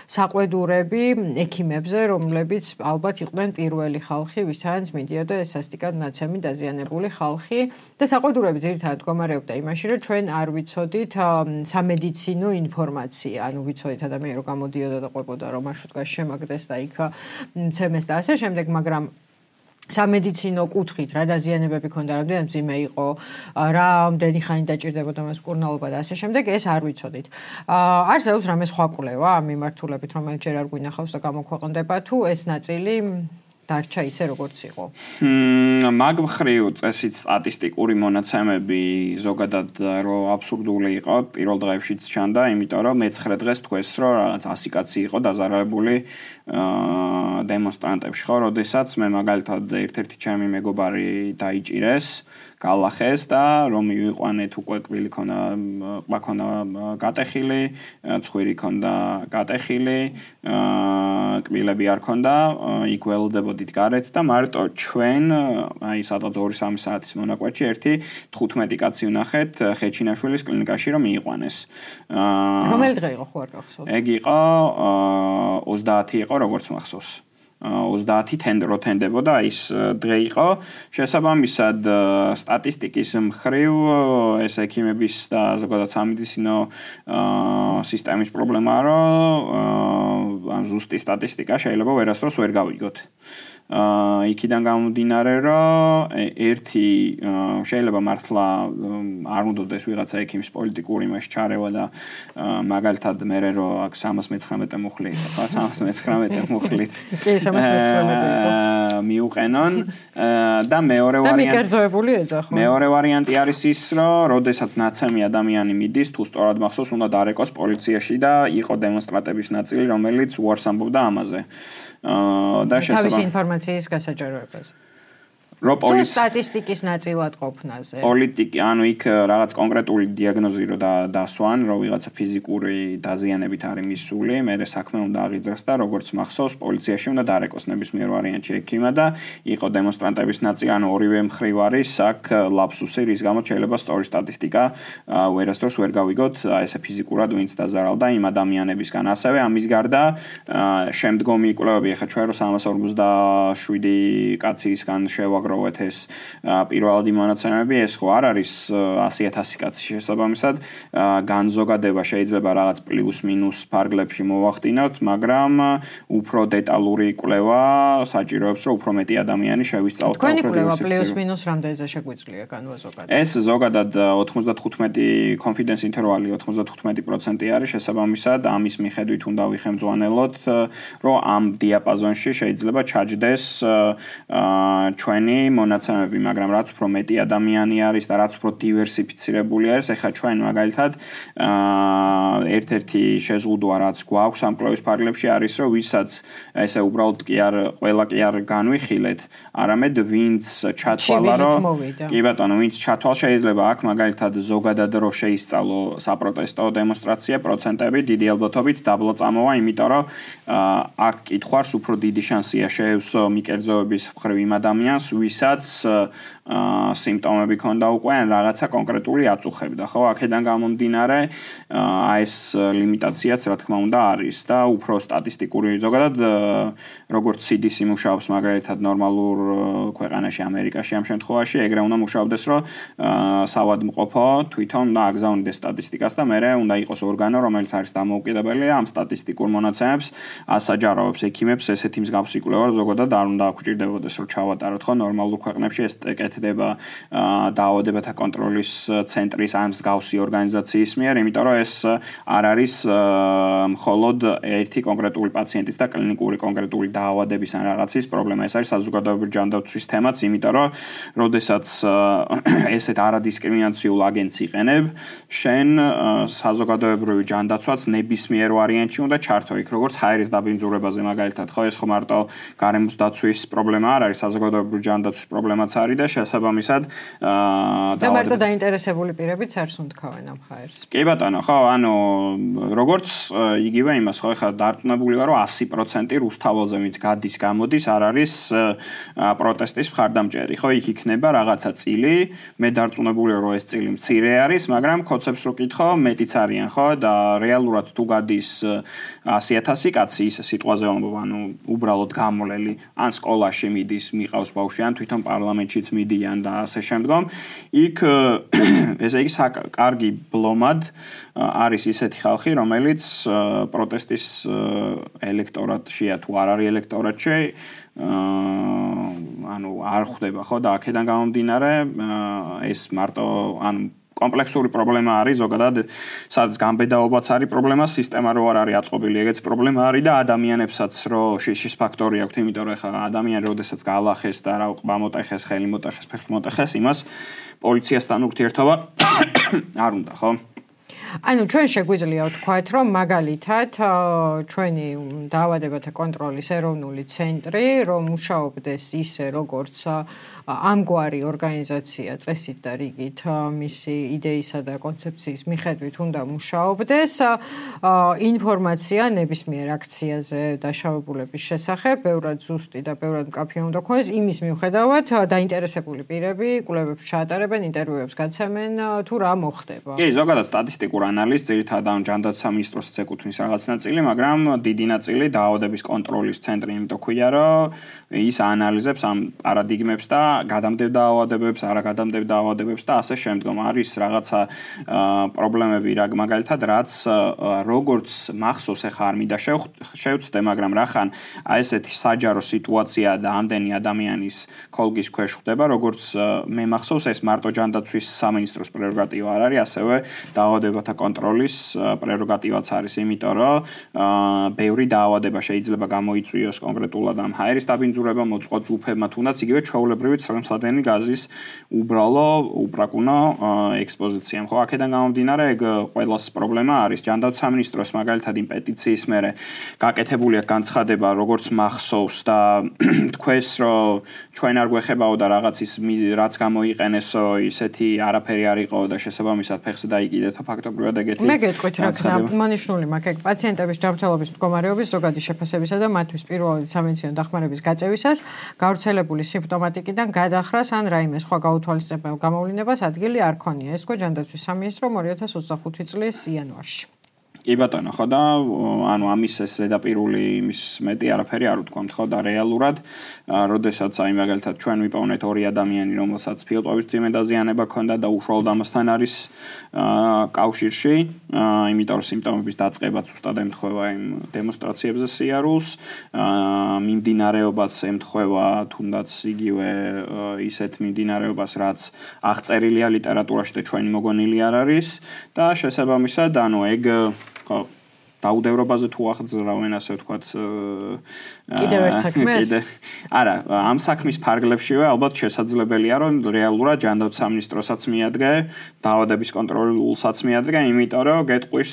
საყვედურები ექიმებზე, რომლებიც ალბათ იყვნენ პირველი ხალხი, ვისთანაც მიდიოდა ეს სასტიკად ნაცემი დაზიანებული ხალხი და საყვედურები ძირითადად მდგომარეობდა იმაში, რომ ჩვენ არ ვიცოდით სამედიცინო ინფორმაცია, ანუ ვიცოდით ადამიანი რომ გამოდიოდა და ყვებოდა რომ მარშრუტკაში შემაგდეს და იქ მცემეს და ასე შემდეგ, მაგრამ სამედიცინო კუთხით რა დაზიანებები ქონდა, რამდენი მძიმე იყო, რამდენი ხანი დაჭირდებოდა მას მკურნალობა და ასე შემდეგ, ეს არ ვიცოდით. არსებობს რამე სხვა კვლევა ამ მიმართულებით, რომელიც ჯერ არ გვინახავს და გამოქვეყნდება, თუ ეს ნაწილი დარჩა ისე როგორც იყო. მაგ მხრივ წესით სტატისტიკური მონაცემები ზოგადად რომ აბსურდული იყო, პირველ დღეებშიც ჩანდა, იმიტომ რომ მე-9 დღეს თქვეს, რომ რაღაც 100 კაცი იყო დაზარალებული დემონსტრანტებში, ხო, როდესაც მე მაგალითად ერთ-ერთი ჩემი მეგობარი დაიჭირეს, გალახეს და რომ მივიყვანეთ უკვე კბილი ქონა გატეხილი, ცხვირი ქონდა გატეხილი, კბილები არ ქონდა, იქ ველოდებოდით გარეთ და მარტო ჩვენ, აი სადღაც 2-3 საათის მონაკვეთში ერთი 15 კაცი ვნახეთ ხეჩინაშვილის კლინიკაში რომ მიიყვანეს. რომელი დღე იყო ხო არ გახსოვთ? ეგ იყო 30 იყო როგორც მახსოვს. 30 თენდრო თენდებოდა ის დღე იყო. შესაბამისად სტატისტიკის მხრივ ეს ექიმების და ზოგადად სამედიცინო სისტემის პრობლემაა, რომ ზუსტი სტატისტიკა შეიძლება ვერასდროს ვერ გავიგოთ. იქიდან გამომდინარე, რომ ერთი შეიძლება მართლა არ უნდადეს ვიღაცა ექიმის პოლიტიკური იმაში ჩარევა და მაგალითად მე რომ აქ 319 მუხლი იყო, 319 მუხლით. კი, 319 მიუყენონ და მეორე ვარიანტი და მიკერძოებული ეძახო. მეორე ვარიანტი არის ის, რომ როდესაც ნაცემი ადამიანი მიდის, თუ სწორად მახსოვს, უნდა დარეკოს პოლიციაში და იყო დემონსტრანტების ნაწილი, რომელიც უარს ამბობდა ამაზე. და თავისი ინფორმაციის გასაჯაროებას. სტატისტიკის ნაწილად ყოფნაზე. პოლიტიკი, ანუ იქ რაღაც კონკრეტული დიაგნოზი რო დასვან, რომ ვიღაცა ფიზიკური დაზიანებით არის მისული, მერე საქმე უნდა აღიძრას და როგორც მახსოვს, პოლიციაში უნდა დარეკოს ნებისმიერ ვარიანტში ექიმა და იყო დემონსტრანტების ნაწილი, ანუ ორივე მხრივ არის აქ ლაფსუსი, რის გამოც შეიძლება სწორი სტატისტიკა ვერასდროს ვერ გავიგოთ, ესე ფიზიკურად ვინც დაზარალდა იმ ადამიანებისგან. ასევე ამის გარდა შემდგომი კვლევები, ახლა ჩვენ რო 347 კაცისგან შევაგროვეთ ეს პირველადი მონაცემები, ეს ხო არ არის 100,000 კაცი შესაბამისად, განზოგადება შეიძლება რაღაც პლუს მინუს ფარგლებში მოვახდინოთ, მაგრამ უფრო დეტალური კვლევა საჭიროებს, რომ უფრო მეტი ადამიანი შევისწავლოთ. თქვენი კვლევა პლუს მინუს რამდენზე შეგვიძლია განვაზოგადოთ? ეს ზოგადად 95 confidence interval-ი 95% არის შესაბამისად, ამის მიხედვით უნდა ვიხემძვანელოთ, რომ ამ დიაპაზონში შეიძლება ჩაჯდეს ჩვენი მონაცემები, მაგრამ რაც უფრო მეტი ადამიანი არის და რაც უფრო დივერსიფიცირებული არის, ეხლა ჩვენ მაგალითად ერთ-ერთი შეზღუდვა რაც გვაქვს ამ კვლევის ფარგლებში არის, რომ ვისაც ესე უბრალოდ კი არ ყველა კი არ განვიხილეთ, არამედ ვინც ჩათვალა, რომ კი ბატონო, ვინც ჩათვალ შეიძლება აქ მაგალითად ზოგადად რო შეისწავლო საპროტესტო დემონსტრაცია პროცენტები დიდი ალბათობით დაბლა წამოვა, იმიტომ რომ აქ კითხვარს უფრო დიდი შანსია შეევსო მიკერძოების მხრივ იმ ადამიანს, ვისაც სიმპტომები ქონდა უკვე ან რაღაცა კონკრეტული აწუხებდა, ხო? აქედან გამომდინარე, ეს ლიმიტაციაც რა თქმა უნდა არის და უფრო სტატისტიკური ზოგადად როგორც CDC მუშაობს მაგალითად ნორმალურ ქვეყანაში ამერიკაში ამ შემთხვევაში, ეგრე უნდა მუშაობდეს, რომ სავადმყოფო თვითონ და აგზავნიდეს სტატისტიკას და მერე უნდა იყოს ორგანო, რომელიც არის დამოუკიდებელი და ამ სტატისტიკურ მონაცემებს ასაჯაროებს ექიმებს ესეთი მსგავსი კვლევა ზოგადად არ უნდა აქვჭირდებოდეს, რომ ჩავატაროთ, ხო? ნორმალურ ქვეყნებში ეს კეთდება დაავადებათა კონტროლის ცენტრის ან მსგავსი ორგანიზაციის მიერ, იმიტომ რომ ეს არ არის მხოლოდ ერთი კონკრეტული პაციენტის და კლინიკური კონკრეტული დაავადების ან რაღაცის პრობლემა, ეს არის საზოგადოებრივი ჯანდაცვის თემაც, იმიტომ რომ როდესაც ესეთ არადისკრიმინაციულ აგენტს იყენებ, შენ საზოგადოებრივი ჯანდაცვაც ნებისმიერ ვარიანტში უნდა ჩართო იქ, როგორც ჰაერის დაბინძურებაზე მაგალითად, ხო, ეს ხო მარტო გარემოს დაცვის პრობლემა არ არის, საზოგადოებრივი ჯანდაცვის პრობლემაც არის და შესაბამისად და მარტო დაინტერესებული პირებიც არ სუნთქავენ ამ ჰაერს. კი ბატონო, ხო, ანუ როგორც იგივე იმას, ხო, ეხლა დარწმუნებული ვარ, რომ 100% რუსთაველზე ვინც გადის, გამოდის, არ არის პროტესტის მხარდამჭერი, ხო, იქ იქნება რაღაცა წილი, მე დარწმუნებული ვარ, რომ ეს წილი მცირე არის, მაგრამ კოცებს რო კითხო, მეტიც არიან, ხო, და რეალურად თუ გადის 100,000 კაცი ის სიტყვაზე ვამბობ, ანუ უბრალოდ გამოლელი, ან სკოლაში მიდის, მიყავს ბავშვი, ან თვითონ პარლამენტშიც მიდიან და ასე შემდგომ, იქ ესე იგი კარგი ბლომად არის ისეთი ხალხი, რომელიც პროტესტის ელექტორატშია თუ არ არის ელექტორატში, ანუ არ ხვდება, ხო, და აქედან გამომდინარე, ეს მარტო ანუ კომპლექსური პრობლემა არის ზოგადად, სადაც გამბედაობაც არის პრობლემა, სისტემა რო არ არის აწყობილი, ეგეც პრობლემა არის და ადამიანებსაც რო შიშის ფაქტორი აქვს, იმიტომ რომ ეხლა ადამიანი როდესაც გაალახეს და რა ყბა მოტეხეს, ხელი მოტეხეს, ფეხი მოტეხეს, იმას პოლიციასთან ურთიერთობა არ უნდა, ხო? ანუ ჩვენ შეგვიძლია ვთქვათ, რომ მაგალითად ჩვენი დაავადებათა კონტროლის ეროვნული ცენტრი, რომ მუშაობდეს ისე, როგორც ამგვარი ორგანიზაცია წესით და რიგით მისი იდეისა და კონცეფციის მიხედვით უნდა მუშაობდეს, ინფორმაცია ნებისმიერ აქციაზე დაშავებულების შესახებ, ბევრად ზუსტი და ბევრად მკაფიო უნდა ქონდეს, იმის მიუხედავად დაინტერესებული პირები კვლევებს ჩაატარებენ, ინტერვიუებს გაცემენ, თუ რა მოხდება. კი, ზოგადად სტატისტიკურ ტექნიკურ ანალიზს, ძირითადად ჯანდაცვა მინისტროს ეკუთვნის რაღაც ნაწილი, მაგრამ დიდი ნაწილი დაავადების კონტროლის ცენტრი იმიტომ ქვია, რომ ის აანალიზებს ამ პარადიგმებს და გადამდებდა დაავადებებს, არაგადამდებდა დაავადებებს და ასე შემდგომ. არის რაღაცა პრობლემები, მაგალითად, რაც როგორც მახსოვს, ახლა არ მინდა შევცდე, მაგრამ რახან აი ესეთი საჯარო სიტუაცია და ამდენი ადამიანის ქოლგის ქვეშ ხდება, როგორც მე მახსოვს, ეს მარტო ჯანდაცვის სამინისტროს პრეროგატივა არ არის, ასევე დაავადებათა კონტროლის პრეროგატივაც არის, იმიტომ რომ ბევრი დაავადება შეიძლება გამოიწვიოს კონკრეტულად ამ ჰაერის დაბინძურება, მოწყოთ ჯგუფებმა, თუნდაც იგივე ჩვეულებრივი ცხელმსადენი გაზის უბრალო უპრაკუნო ექსპოზიცია. ხო, აქედან გამომდინარე, ეგ ყველას პრობლემა არის. ჯანდაცვის სამინისტროს მაგალითად იმ პეტიციის მერე გაკეთებულია განცხადება, როგორც მახსოვს და თქვენს რომ ჩვენ არ გვეხებაო და რაღაც ის რაც გამოიყენესო, ისეთი არაფერი არ იყო და შესაბამისად ფეხზე დაიკიდეთო ფაქტობრივად ეგეთი. მე გეტყვით რა ქნა, მონიშნული მაქვს ეგ პაციენტების ჯანმრთელობის მდგომარეობის ზოგადი შეფასებისა და მათთვის პირველი სამედიცინო დახმარების გაწევისას, გავრცელებული სიმპტომატიკიდან გადახრას ან რაიმე სხვა გაუთვალისწინებელ გამოვლინებას ადგილი არ ქონია. ეს თქვა ჯანდაცვის სამინისტრომ 2025 წლის იანვარში. კი ბატონო, ხო და ანუ ამის ეს ზედაპირული იმის მეტი არაფერი არ ვთქვამთ, ხო და რეალურად, როდესაც აი მაგალითად ჩვენ ვიპოვნეთ 2 ადამიანი, რომელსაც ფილტვების ძიმე დაზიანება ჰქონდა და უშუალოდ ამასთან არის კავშირში, იმიტომ რომ სიმპტომების დაწყებაც უბრალოდ ემთხვევა იმ დემონსტრაციებზე სიარულს, მიმდინარეობაც ემთხვევა თუნდაც იგივე ისეთ მიმდინარეობას, რაც აღწერილია ლიტერატურაში და ჩვენი მოგონილი არ არის და შესაბამისად, ანუ ეგ ხო დაუდევრობაზე თუ აღძრავენ ასე ვთქვათ კიდევ ერთ საქმეს არა ამ საქმის ფარგლებშივე ალბათ შესაძლებელია რომ რეალურად ჯანდაცვის სამინისტროსაც მიადგე დაავადების კონტროლულსაც მიადგე იმიტომ რომ გეტყვის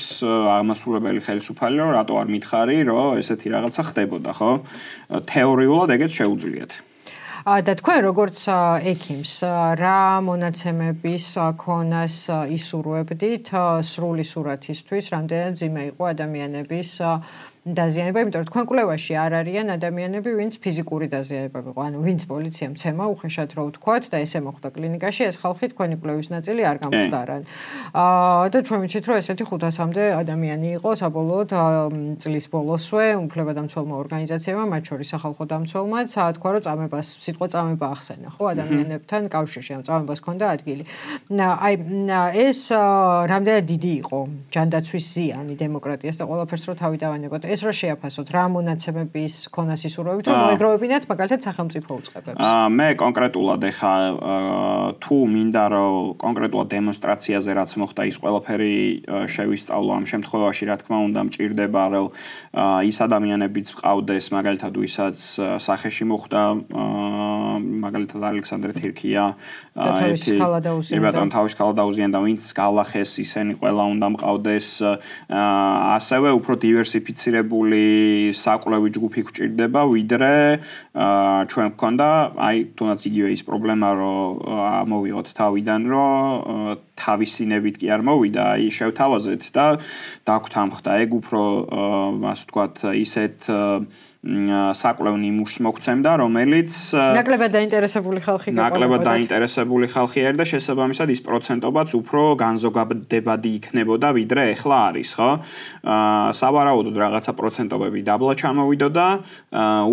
აღმასრულებელი ხელისუფალი რომ რატო არ მითხარი რომ ესეთი რაღაცა ხდებოდა ხო თეორიულად ეგეც შეუძლიათ და თქვენ როგორც ექიმს რა მონაცემების ქონას ისურვებდით სრული სურათისთვის რამდენად ძიმე იყო ადამიანების დაზიანება, იმიტომ რომ თქვენ კვლევაში არ არიან ადამიანები, ვინც ფიზიკური დაზიანება იყო, ანუ ვინც პოლიციამ ცემა უხეშად რო ვთქვათ და ესე მოხდა კლინიკაში, ეს ხალხი თქვენი კვლევის ნაწილი არ გამხდარან. და ჩვენ ვიცით, რომ ესეთი 500-მდე ადამიანი იყო საბოლოოდ წლის ბოლოსვე, უფლებადამცველმა ორგანიზაციებმა, მათ შორის სახალხო დამცველმაც, თქვა რომ წამებას, სიტყვა წამება ახსენა, ხო, ადამიანებთან კავშირში, ამ წამებას ჰქონდა ადგილი. აი ეს რამდენად დიდი იყო ჯანდაცვის ზიანი დემოკრატიას და ყველაფერს რო თავი დავანებოთ. ეს რა შეაფასოთ, რა მონაცემების ქონას ისურვებით, რომ მოეგროვებინათ მაგალითად სახელმწიფო უწყებებს. მე კონკრეტულად ეხა თუ მინდა რომ კონკრეტულად დემონსტრაციაზე რაც მოხდა ის ყველაფერი შევისწავლო ამ შემთხვევაში, რა თქმა უნდა, მჭირდება რომ ის ადამიანებიც ყავდეს, მაგალითად ვისაც სახეში მოხდა, მაგალითად ალექსანდრე თირქია, ბატონ თავის ქალა დაუზიანდა, ვინც გალახეს, ისინი ყველა უნდა მყავდეს, ასევე უფრო დივერსიფიცირებული საკვლევი ჯგუფი გვჭირდება, ვიდრე ჩვენ გქონდა, აი თუნდაც იგივე ის პრობლემა, რომ ამოვიღოთ თავიდან, რომ თავისინებით კი არ მოვიდა, აი შევთავაზეთ და დაგვთამხდა. ეგ უფრო ასე ვთქვათ, ისეთ საკვლევ ნიმუშს მოგცემდა, რომელიც ნაკლებად დაინტერესებული ხალხი გიყოლა. ნაკლებად დაინტერესებული ხალხი არის და შესაბამისად ის პროცენტობაც უფრო განზოგადებადი იქნებოდა, ვიდრე ეხლა არის, ხო? სავარაუდოდ რაღაცა პროცენტობები დაბლა ჩამოვიდოდა,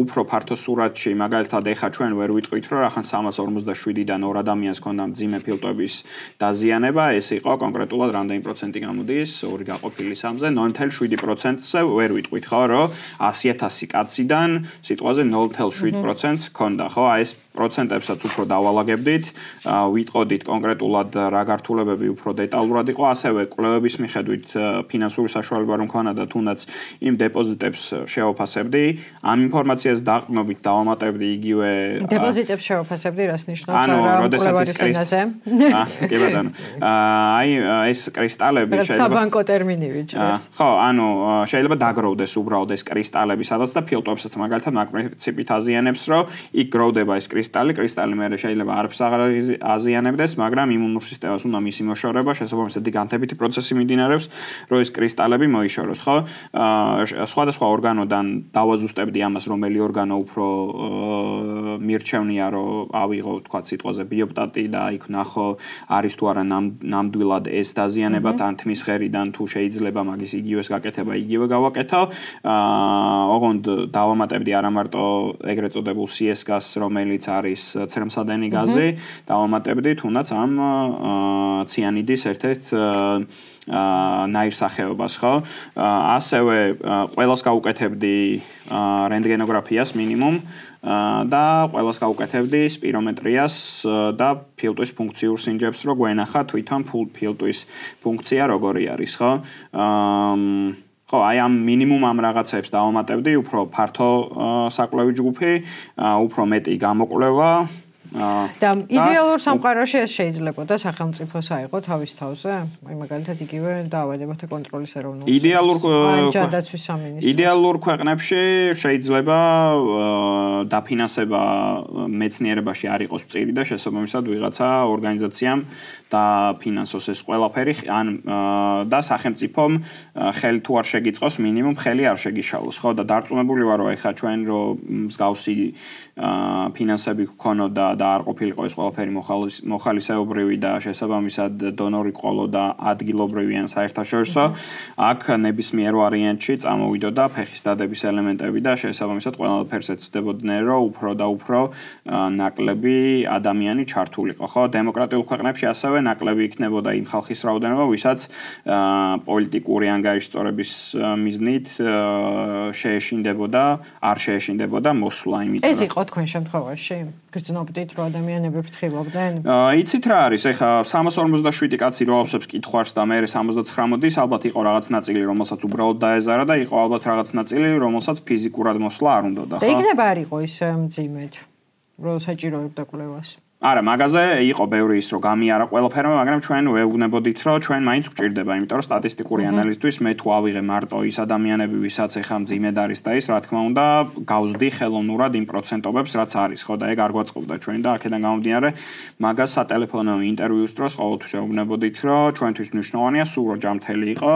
უფრო ფართო სურათში, მაგალითად ეხლა ჩვენ ვერ ვიტყვით, რომ რახან 357-დან 2 ადამიანს ჰქონდა მძიმე ფილტვების დაზიანება, ეს იყო კონკრეტულად რამდენი პროცენტი გამოდის, 2 გაყოფილი 3-ზე, 0.7%-ზე ვერ ვიტყვით, ხო, რომ 100,000 კაციდან სიტყვაზე 0.7%-ს ჰქონდა, ხო? აი ეს პროცენტებსაც უფრო დავალაგებდით, ვიტყოდით კონკრეტულად რა გართულებები უფრო დეტალურად იყო, ასევე კვლევების მიხედვით ფინანსური საშუალება რომ ქონა და თუნდაც იმ დეპოზიტებს შევაფასებდი, ამ ინფორმაციას დაყრდნობით დავამატებდი იგივე დეპოზიტებს შევაფასებდი, რას ნიშნავს რა კვლევის ენაზე? კი ბატონო. აი ეს კრისტალები შეიძლება საბანკო ტერმინი ვიჭერს. ხო, ანუ შეიძლება დაგროვდეს უბრალოდ ეს კრისტალები, სადაც და ფილტვებსაც მაგალითად მაგპრინციპით აზიანებს, რომ იქ გროვდება ეს კრისტალი მე შეიძლება არაფერს აღარ აზიანებდეს, მაგრამ იმუნურ სისტემას უნდა მისი მოშორება, შესაბამისად განთებითი პროცესი მიმდინარეობს, რომ ეს კრისტალები მოიშოროს, ხო? სხვადასხვა ორგანოდან დავაზუსტებდი ამას, რომელი ორგანო უფრო მირჩევნია, რომ ავიღო, თქვა სიტყვაზე ბიოპტატი და იქ ნახო არის თუ არა ნამდვილად ეს დაზიანება თან თმის ხერიდან თუ შეიძლება მაგის იგივეს გაკეთება, იგივე გავაკეთო. ოღონდ დავამატებდი არა მარტო ეგრეთ წოდებულ CS გაზს, რომელიც არის ცრემსადენი გაზი, დავამატებდი თუნდაც ამ ციანიდის ერთ-ერთ ნაირსახეობას, ხო? ასევე ყველას გავუკეთებდი რენტგენოგრაფიას მინიმუმ და ყველას გავუკეთებდი სპირომეტრიას და ფილტვის ფუნქციურ სინჯებს, რო გვენახა თვითონ ფილტვის ფუნქცია როგორი არის, ხო? ხო, აი ამ მინიმუმ ამ რაღაცებს დავამატებდი, უფრო ფართო საკვლევი ჯგუფი, უფრო მეტი გამოკვლევა. და იდეალურ სამყაროში ეს შეიძლებოდა სახელმწიფოს აიღო თავის თავზე? აი მაგალითად იგივე დაავადებათა კონტროლის ეროვნულ ჯანდაცვის სამინისტროს. იდეალურ ქვეყნებში შეიძლება დაფინანსება მეცნიერებაში არ იყოს მწირი და შესაბამისად ვიღაცა ორგანიზაციამ დაფინანსოს ეს ყველაფერი, ან და სახელმწიფომ ხელი თუ არ შეგიწყოს, მინიმუმ ხელი არ შეგიშალოს, ხო? და დარწმუნებული ვარ, რომ ეხა ჩვენ რომ მსგავსი ფინანსები გქონოდა და არ ყოფილიყო ეს ყველაფერი მოხალისეობრივი და შესაბამისად დონორი ყოლო და ადგილობრივი ან საერთაშორისო, აქ ნებისმიერ ვარიანტში წამოვიდოდა ფეხის დადების ელემენტები და შესაბამისად ყველაფერს ეცდებოდნენ, რომ უფრო და უფრო ნაკლები ადამიანი ჩართულიყო, ხო? დემოკრატიულ ქვეყნებში ასევე ნაკლები იქნებოდა იმ ხალხის რაოდენობა, ვისაც პოლიტიკური ანგარიშწორების მიზნით არ შეეშინდებოდა მოსვლა, იმიტომ ეს იყო თქვენ შემთხვევაში? გრძნობდით, რომ ადამიანები ფრთხილობდნენ? იცით რა არის, ეხა 347 კაცი რო ავსებს კითხვარს და მე 79 მოდის, ალბათ იყო რაღაც ნაწილი, რომელსაც უბრალოდ დაეზარა და იყო ალბათ რაღაც ნაწილი, რომელსაც ფიზიკურად მოსვლა არ უნდოდა, ხო? და იქნება არ იყო ის მძიმედ, რომ საჭიროებდა კვლევას? არა, მაგაზე იყო ბევრი ის, რომ გამიარა ყველაფერმა, მაგრამ ჩვენ ვეუბნებოდით, რომ ჩვენ მაინც გვჭირდება, იმიტომ რომ სტატისტიკური ანალიზისთვის მე თუ ავიღე მარტო ის ადამიანები, ვისაც ეხა მძიმედ არის და ის, რა თქმა უნდა, გავზდი ხელოვნურად იმ პროცენტობებს, რაც არის, ხო, და ეგ არ გვაწყობდა ჩვენ და აქედან გამომდინარე, მაგას სატელეფონო ინტერვიუს დროს ყოველთვის ვეუბნებოდით, რომ ჩვენთვის მნიშვნელოვანია სულ რომ ჯამთელი იყო,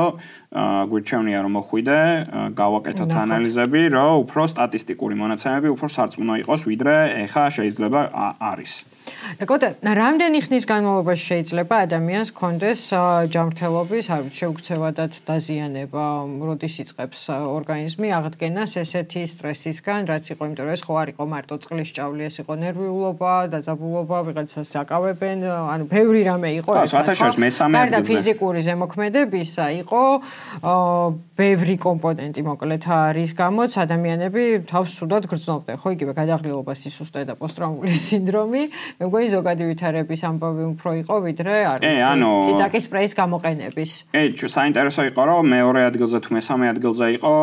გვირჩევნია რომ მოხვიდე, გავაკეთოთ ანალიზები, რომ უფრო სტატისტიკური მონაცემები უფრო სარწმუნო იყოს, ვიდრე ეხა შეიძლება არის. და რამდენი ხნის განმავლობაში შეიძლება ადამიანს კონდეს ჯანმრთელობის შეუქცევადად დაზიანება, როდის იწყებს ორგანიზმი აღდგენას ესეთი სტრესისგან, რაც იყო, იმიტომ რომ ეს ხო არ იყო მარტო წყლის ჭავლი, ეს იყო ნერვიულობა, დაძაბულობა, ვიღაცას აკავებენ, ანუ ბევრი რამე იყო ეს. გარდა ფიზიკური ზემოქმედებისა იყო ბევრი კომპონენტი, მოკლედ რის გამოც ადამიანები თავს ცუდად გრძნობდნენ, ხო, იგივე გადაღლილობას სისუსტე და პოსტტრაუმული სინდრომი. მე მგონი ზოგადი ვითარების ამბავი უფრო იყო, ვიდრე არ ვიცი, წიწაკის სპრეის გამოყენების. საინტერესო იყო, რომ მეორე ადგილზე თუ მესამე ადგილზე იყო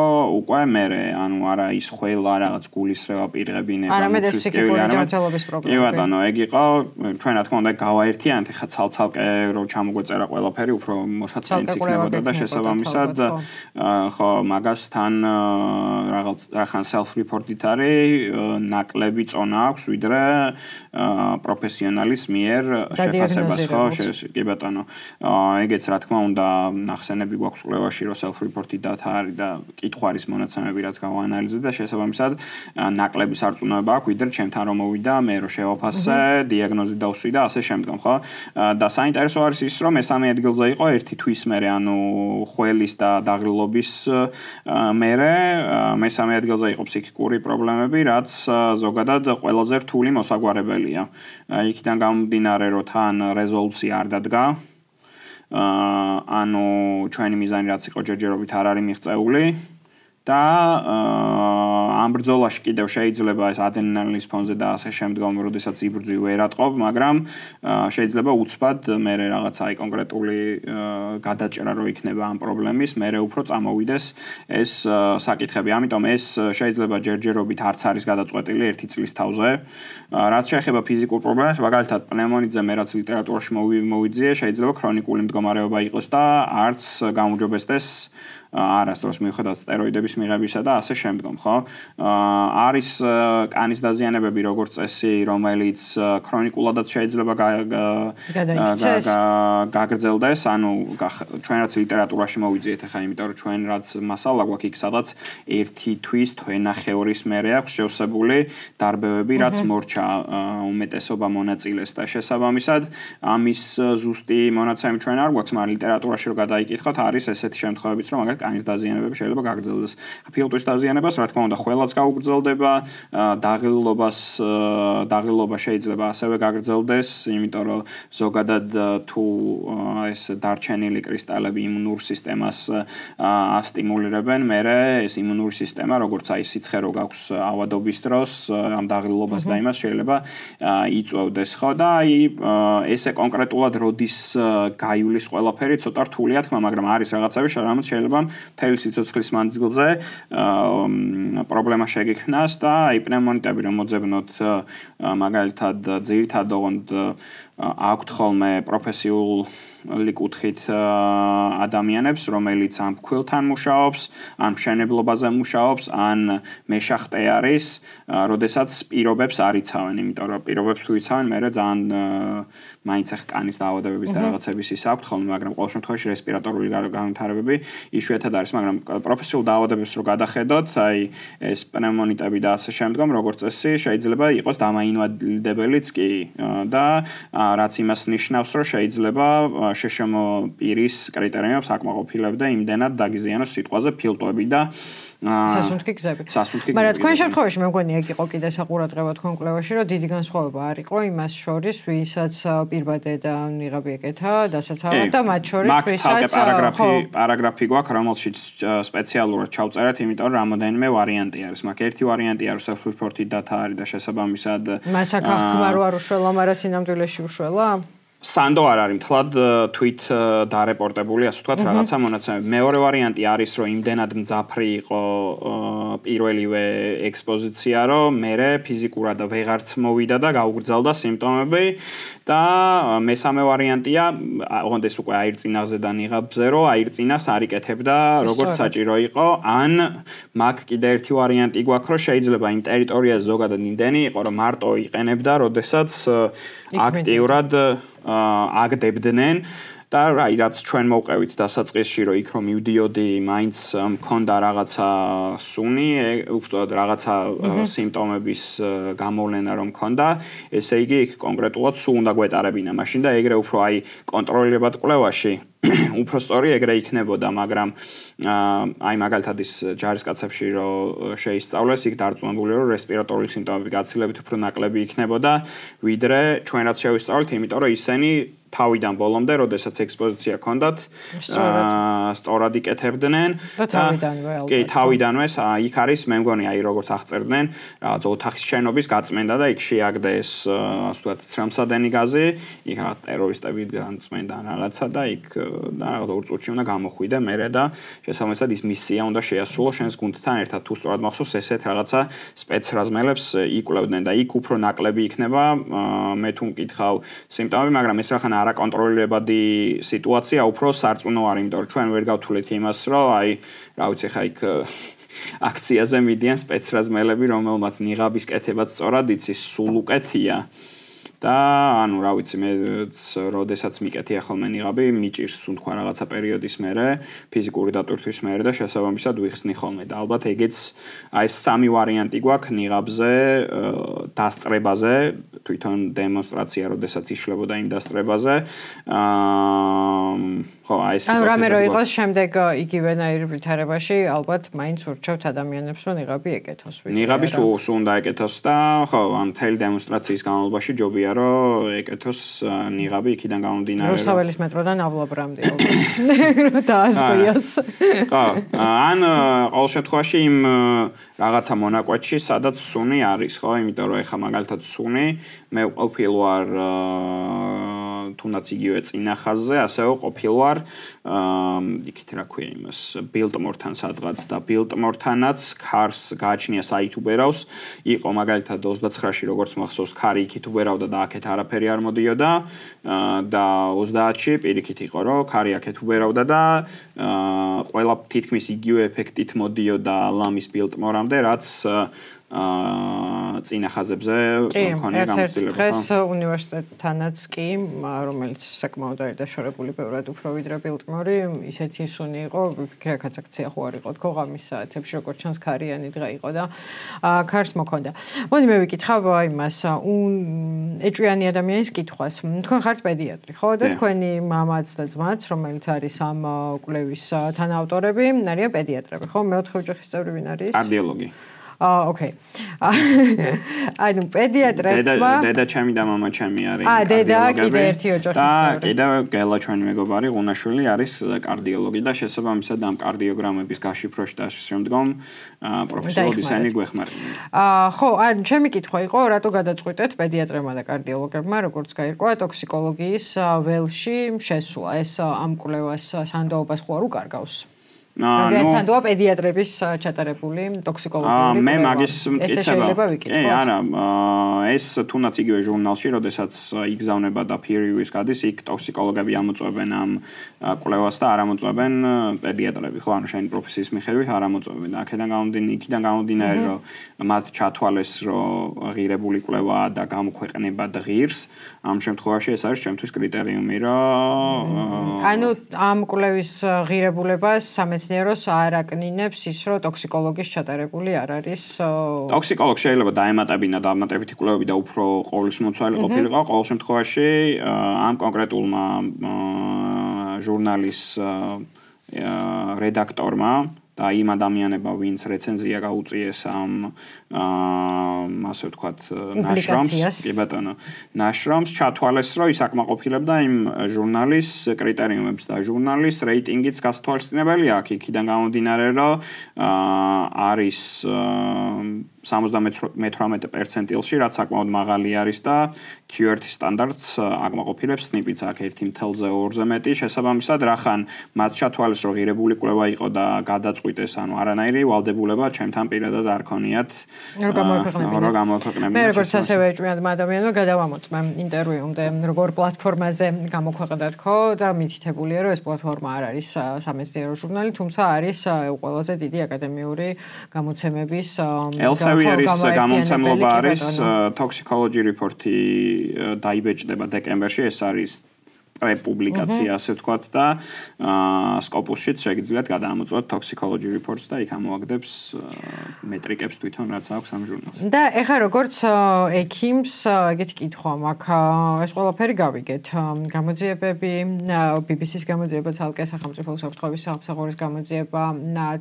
უკვე მერე, ანუ არა ის ხველა რაღაც გულისრევა პირღებინება, არამედ ეს ფსიქიკური ჯანმრთელობის პრობლემა. კი ბატონო, ეგ იყო, ჩვენ რა თქმა უნდა გავაერთიანეთ, ხა ცალ-ცალკე რომ ჩამოგვეწერა ყველაფერი, უფრო მოსაცინიც იქნებოდა და შესაბამისად ხო, მაგასთან რაღაც ახან self-report-ით არის, ნაკლები წონა აქვს, ვიდრე პროფესიონალის მიერ შეფასებას, ხო, კი ბატონო. ეგეც რა თქმა უნდა, ნახსენები გვაქვს კვლევაში, რომ self-report-ი data არის და კითხვარის მონაცემები რაც გავაანალიზე და შესაბამისად ნაკლები სარწმუნოება აქვს, ვიდრე ჩემთან რომ მოვიდა, მე რომ შევაფასე, დიაგნოზი დავსვი და ასე შემდგომ, ხო? და საინტერესო არის ის, რომ მესამე ადგილზე იყო ერთი თვის მერე, ანუ ხველის და დაღლილობის მერე, მესამე ადგილზე იყო ფსიქიკური პრობლემები, რაც ზოგადად ყველაზე რთული მოსაგვარებელია. იქიდან გამომდინარე, რომ თან რეზოლუცია არ დადგა. ანუ ჩვენი მიზანი რაც იყო ჯერჯერობით არ არის მიღწეული და ამ ბრძოლაში კიდევ შეიძლება ეს ადრენალინის ფონზე და ასე შემდგომ, როდესაც იბრძვი ვერ ატყობ, მაგრამ შეიძლება უცბად მე რაღაცა აი კონკრეტული გადაჭრა რო იქნება ამ პრობლემის, მე უფრო წამოვიდეს ეს საკითხები. ამიტომ ეს შეიძლება ჯერჯერობით არც არის გადაწყვეტილი 1 წლის თავზე. რაც შეეხება ფიზიკურ პრობლემებს, მაგალითად პნევმონიდზე მე რაც ლიტერატურაში მოვიძიე, შეიძლება ქრონიკული მდგომარეობა იყოს და არც გამოუჯობესდეს არასდროს მიუხედავად სტეროიდების მიღებისა და ასე შემდგომ, ხო? არის კანის დაზიანებები როგორც წესი, რომელიც ქრონიკულადაც შეიძლება გაგრძელდეს, ანუ ჩვენ რაც ლიტერატურაში მოვიძიეთ ახლა, იმიტომ რომ ჩვენ რაც მასალა გვაქვს იქ სადაც 1 თვის თვენახევრის მერე აქვს შევსებული დარბევები, რაც მორჩა უმეტესობა მონაწილეს და შესაბამისად ამის ზუსტი მონაცემი ჩვენ არ გვაქვს, მაგრამ ლიტერატურაში რო გადაიკითხოთ, არის ესეთი შემთხვევებიც, რომ მაგალითად კანის დაზიანებები შეიძლება გაგრძელდეს. ფილტვის დაზიანებას, რა თქმა უნდა, ყველაც გაუგრძელდება, დაღილობა შეიძლება ასევე გაგრძელდეს, იმიტომ რომ ზოგადად თუ ეს დარჩენილი კრისტალები იმუნურ სისტემას ასტიმულირებენ, მერე ეს იმუნური სისტემა, როგორც აი სიცხე რო გაქვს ავადობის დროს, ამ დაღილობას და იმას შეიძლება იწვევდეს, ხო და აი ესე კონკრეტულად როდის გაივლის ყველაფერი ცოტა რთულია თქმა, მაგრამ არის რაღაცები, რომელიც შეიძლება მთელი სიცოცხლის მანძილზე პრობლემა შეგექმნას და აი პნევმონიტები რომ მოძებნოთ მაგალითად ძირითადად ოღონდ აქვთ ხოლმე პროფესიული კუთხით ადამიანებს, რომელიც ამ ფქვილთან მუშაობს, ან მშენებლობაზე მუშაობს, ან მეშახტე არის, როდესაც პირობებს არ იცავენ, იმიტომ რომ პირობებს თუ იცავენ, მერე ძალიან მაინც ახ კანის დაავადებების და რაღაცების ის აქვთ ხოლმე, მაგრამ ყოველ შემთხვევაში რესპირატორული განვითარებები იშვიათად არის, მაგრამ პროფესიულ დაავადებებს რო გადახედოთ, აი ეს პნევმონიტები და ასე შემდგომ, როგორც წესი, შეიძლება იყოს დამაინვალიდებელიც კი და რაც იმას ნიშნავს, რომ შეიძლება შეშმო პირის კრიტერიუმებს აკმაყოფილებდა იმდენად დაგიზიანოს სიტყვაზე ფილტვები და სასუნთქი გზები. მაგრამ თქვენ შემთხვევაში მე მგონი ეგ იყო კიდე საყურადღებო თქვენ კვლევაში, რომ დიდი განსხვავება არ იყო იმას შორის, ვისაც პირბადე და ნიღაბი ეკეთა, დასაცავად და მათ შორის ვისაც პარაგრაფი გვაქვს, რომელშიც სპეციალურად ჩავწერეთ, იმიტომ რომ რამოდენიმე ვარიანტი არის. მაგ ერთი ვარიანტი არის self-reported data არის და შესაბამისად მას აქ აღქმა რო არ უშველა, მაგრამ სინამდვილეში უშველა? სანდო არ არის მთლად თვით დარეპორტებული, ასე ვთქვათ, რაღაცა მონაცემები. მეორე ვარიანტი არის, რომ იმდენად მძაფრი იყო პირველივე ექსპოზიცია, რომ მერე ფიზიკურად ვეღარც მოვიდა და გაუგრძელდა სიმპტომები და მესამე ვარიანტია, ოღონდ ეს უკვე აირწინაღზე და ნიღაბზე, რომ აირწინას არ იკეთებდა როგორც საჭირო იყო, ან მაგ კიდე ერთი ვარიანტი გვაქვს, რომ შეიძლება იმ ტერიტორიაზე ზოგადად იმდენი იყო, რომ მარტო იყენებდა, როდესაც აქტიურად აგდებდნენ და აი რაც ჩვენ მოვყევით დასაწყისში რომ იქ რომ მივდიოდი მაინც მქონდა რაღაცა სუნი უბრალოდ რაღაცა სიმპტომების გამოვლენა რომ მქონდა ესე იგი იქ კონკრეტულად სულ უნდა გვეტარებინა მაშინ და ეგრე უფრო აი კონტროლირებად კვლევაში უფრო სწორი ეგრე იქნებოდა მაგრამ აი მაგალითად ის ჯარისკაცებში რომ შეისწავლეს იქ დარწმუნებული რომ რესპირატორული სიმპტომები გაცილებით უფრო ნაკლები იქნებოდა ვიდრე ჩვენ რაც შევისწავლეთ იმიტომ რომ ისინი თავიდან ბოლომდე, როდესაც ექსპოზიცია ჰქონდათ, სწორად იკეთებდნენ და თავიდანვე ალბათ. კი, თავიდანვე იქ არის, მე მგონი, აი როგორც აღწერდნენ, რაღაც ოთახის შენობის გაწმენდა და იქ შეაგდეს, ასე ვთქვათ, ცრემლსადენი გაზი, იქ რაღაც ტერორისტები განწმენდა რაღაცა და იქ და რაღაც 2 წუთში უნდა გამოხვიდე მერე და შესაბამისად ის მისია უნდა შეასრულო შენს გუნდთან ერთად. თუ სწორად მახსოვს, ესეთ რაღაცა სპეცრაზმელებს იკვლევდნენ და იქ უფრო ნაკლები იქნება, მე თუ მკითხავ სიმპტომები, მაგრამ ეს რახან არაკონტროლირებადი სიტუაცია უფრო სარწმუნო არის, იმიტომ რომ ჩვენ ვერ გავთვლით იმას, რომ აი, რა ვიცი, ხა იქ აქციაზე მიდიან სპეცრაზმელები, რომელმაც ნიღაბის კეთებაც სწორად იცის, სულ უკეთია. და ანუ რა ვიცი მე როდესაც მიკეთია ხოლმე ნიღაბი მიჭირს თუ თქვა რაღაცა პერიოდის მერე ფიზიკური დატვირთვის მერე და შესაბამისად ვიხსნი ხოლმე და ალბათ ეგეც აი ეს სამი ვარიანტი გვაქვს ნიღაბზე დასწრებაზე თვითონ დემონსტრაცია როდესაც იშლებოდა იმ დასწრებაზე ხო აი ეს ანუ რამე რო იყოს შემდეგ იგივენაირ ვითარებაში ალბათ მაინც ურჩევთ ადამიანებს რომ ნიღაბი ეკეთოს ნიღაბი სულ უნდა ეკეთოს და ხო ამ მთელი დემონსტრაციის განმავლობაში ჯობია რომ ეკეთოს ნიღაბი იქიდან გამომდინარე რუსთაველის მეტროდან ავლაბრამდე ალბათ დაასკვიოს ხო ან ყოველ შემთხვევაში იმ რაღაცა მონაკვეთში სადაც სუნი არის ხო იმიტომ რომ ეხა მაგალითად სუნი მე ყოფილი ვარ თუნდაც იგივე წინა ხაზზე, ასევე ყოფილვარ იქით რა ქვია იმას Biltmore-თან სადღაც და Biltmore-თანაც ქარს გააჩნია საით უბერავს. იყო მაგალითად 29-ში როგორც მახსოვს ქარი იქით უბერავდა და აქეთ არაფერი არ მოდიოდა და 30-ში პირიქით იყო რომ ქარი აქეთ უბერავდა და ყველა თითქმის იგივე ეფექტით მოდიოდა ლამის Biltmore-ამდე რაც წინა ხაზებზე მქონია გამოცდილება. დღეს უნივერსიტეტთანაც კი, რომელიც საკმაოდ არის დაშორებული ბევრად უფრო ვიდრე Biltmore, ისეთი სუნი იყო, ვფიქრე აქაც აქცია ხო არ იყო თქო ღამის საათებში, როგორც ჩანს ქარიანი დღე იყო და ქარს მოქონდა. მოდი მე ვიკითხავ იმას, ეჭვიანი ადამიანის კითხვას. თქვენ ხართ პედიატრი, ხო? და თქვენი მამაც და ძმაც, რომელიც არის ამ კვლევის თანაავტორები, არიან პედიატრები, ხო? მეოთხე ოჯახის წევრი ვინ არის? კარდიოლოგი. Okay. ანუ პედიატრებმა დედა ჩემი და მამა ჩემი არის დედა კიდე ერთი ოჯახის წევრი. და კიდე გელა ჩვენი მეგობარი ღუნაშვილი არის კარდიოლოგი და შესაბამისად ამ კარდიოგრამების გაშიფროში და შემდგომ პროფესორობის ენი გვეხმარება. ხო, ანუ ჩემი კითხვა იყო, რატო გადაწყვიტეთ პედიატრებმა და კარდიოლოგებმა, როგორც გაირკვა ტოქსიკოლოგიის ველში შესვლა. ეს ამ კვლევას სანდოობას ხო არ უკარგავს? სანდოა პედიატრების ჩატარებული ტოქსიკოლოგიური კვლევა. მე მაგის ეს შეიძლება ვიკითხოთ. არა, ეს თუნდაც იგივე ჟურნალში, როდესაც იგზავნება და peer review-ის გადის, იქ ტოქსიკოლოგები ამოწმებენ ამ კვლევას და არ ამოწმებენ პედიატრები, ხო, ანუ შენი პროფესიის მიხედვით არ ამოწმებენ. აქედან გამომდინარე, რომ მათ ჩათვალეს, რომ ღირებული კვლევაა და გამოქვეყნება ღირს, ამ შემთხვევაში ეს არის ჩემთვის კრიტერიუმი, რომ ანუ ამ კვლევის ღირებულებას სამეცნიეროს არ აკნინებს ის, რომ ტოქსიკოლოგის ჩატარებული არ არის. ტოქსიკოლოგი შეიძლება დაემატებინა დამატებითი კვლევები და უფრო ყოვლისმოცვალი ყოფილიყო. ყოველ შემთხვევაში ამ კონკრეტულმა ჟურნალის რედაქტორმა და იმ ადამიანებმა, ვინც რეცენზია გაუწიეს ამ ასე ვთქვათ ნაშრომს, კი ბატონო, ნაშრომს ჩათვალეს, რომ ის აკმაყოფილებდა იმ ჟურნალის კრიტერიუმებს და ჟურნალის რეიტინგიც გასათვალისწინებელია აქ, იქიდან გამომდინარე, რომ არის 78%-ილში, რაც საკმაოდ მაღალი არის და QWERTY სტანდარტს აკმაყოფილებს SNP-იც აქ 1/2-ზე მეტი. შესაბამისად, რახან მათ ჩათვალეს, რომ ღირებული კვლევა იყო და გადაწყვიტეს, ანუ არანაირი ვალდებულება ჩემთან პირადად არ ქონიათ. რომ გამოქვეყნებინათ. მე როგორც ასევე ეჭვიანმა ადამიანმა გადავამოწმე ინტერვიუმდე, როგორ პლატფორმაზე გამოქვეყნდათ ხო და მითითებულია, რომ ეს პლატფორმა არ არის სამეცნიერო ჟურნალი, თუმცა არის ყველაზე დიდი აკადემიური გამოცემების Elsevieris გამომცემლობა არის Toxicology Report-ი დაიბეჭდება დეკემბერში, ეს არის პრეპუბლიკაცია, ასე ვთქვათ და Scopus-შიც შეგიძლიათ გადაამოწმოთ Toxicology Reports და იქ ამოაგდებს მეტრიკებს თვითონ რაც აქვს ამ ჟურნალს. და ეხლა როგორც ექიმს ეგეთი კითხვა მაქვს, ეს ყველაფერი გავიგეთ. გამოძიებები, BBC-ის გამოძიება ცალკე, სახელმწიფო უსაფრთხოების სამსახურის გამოძიება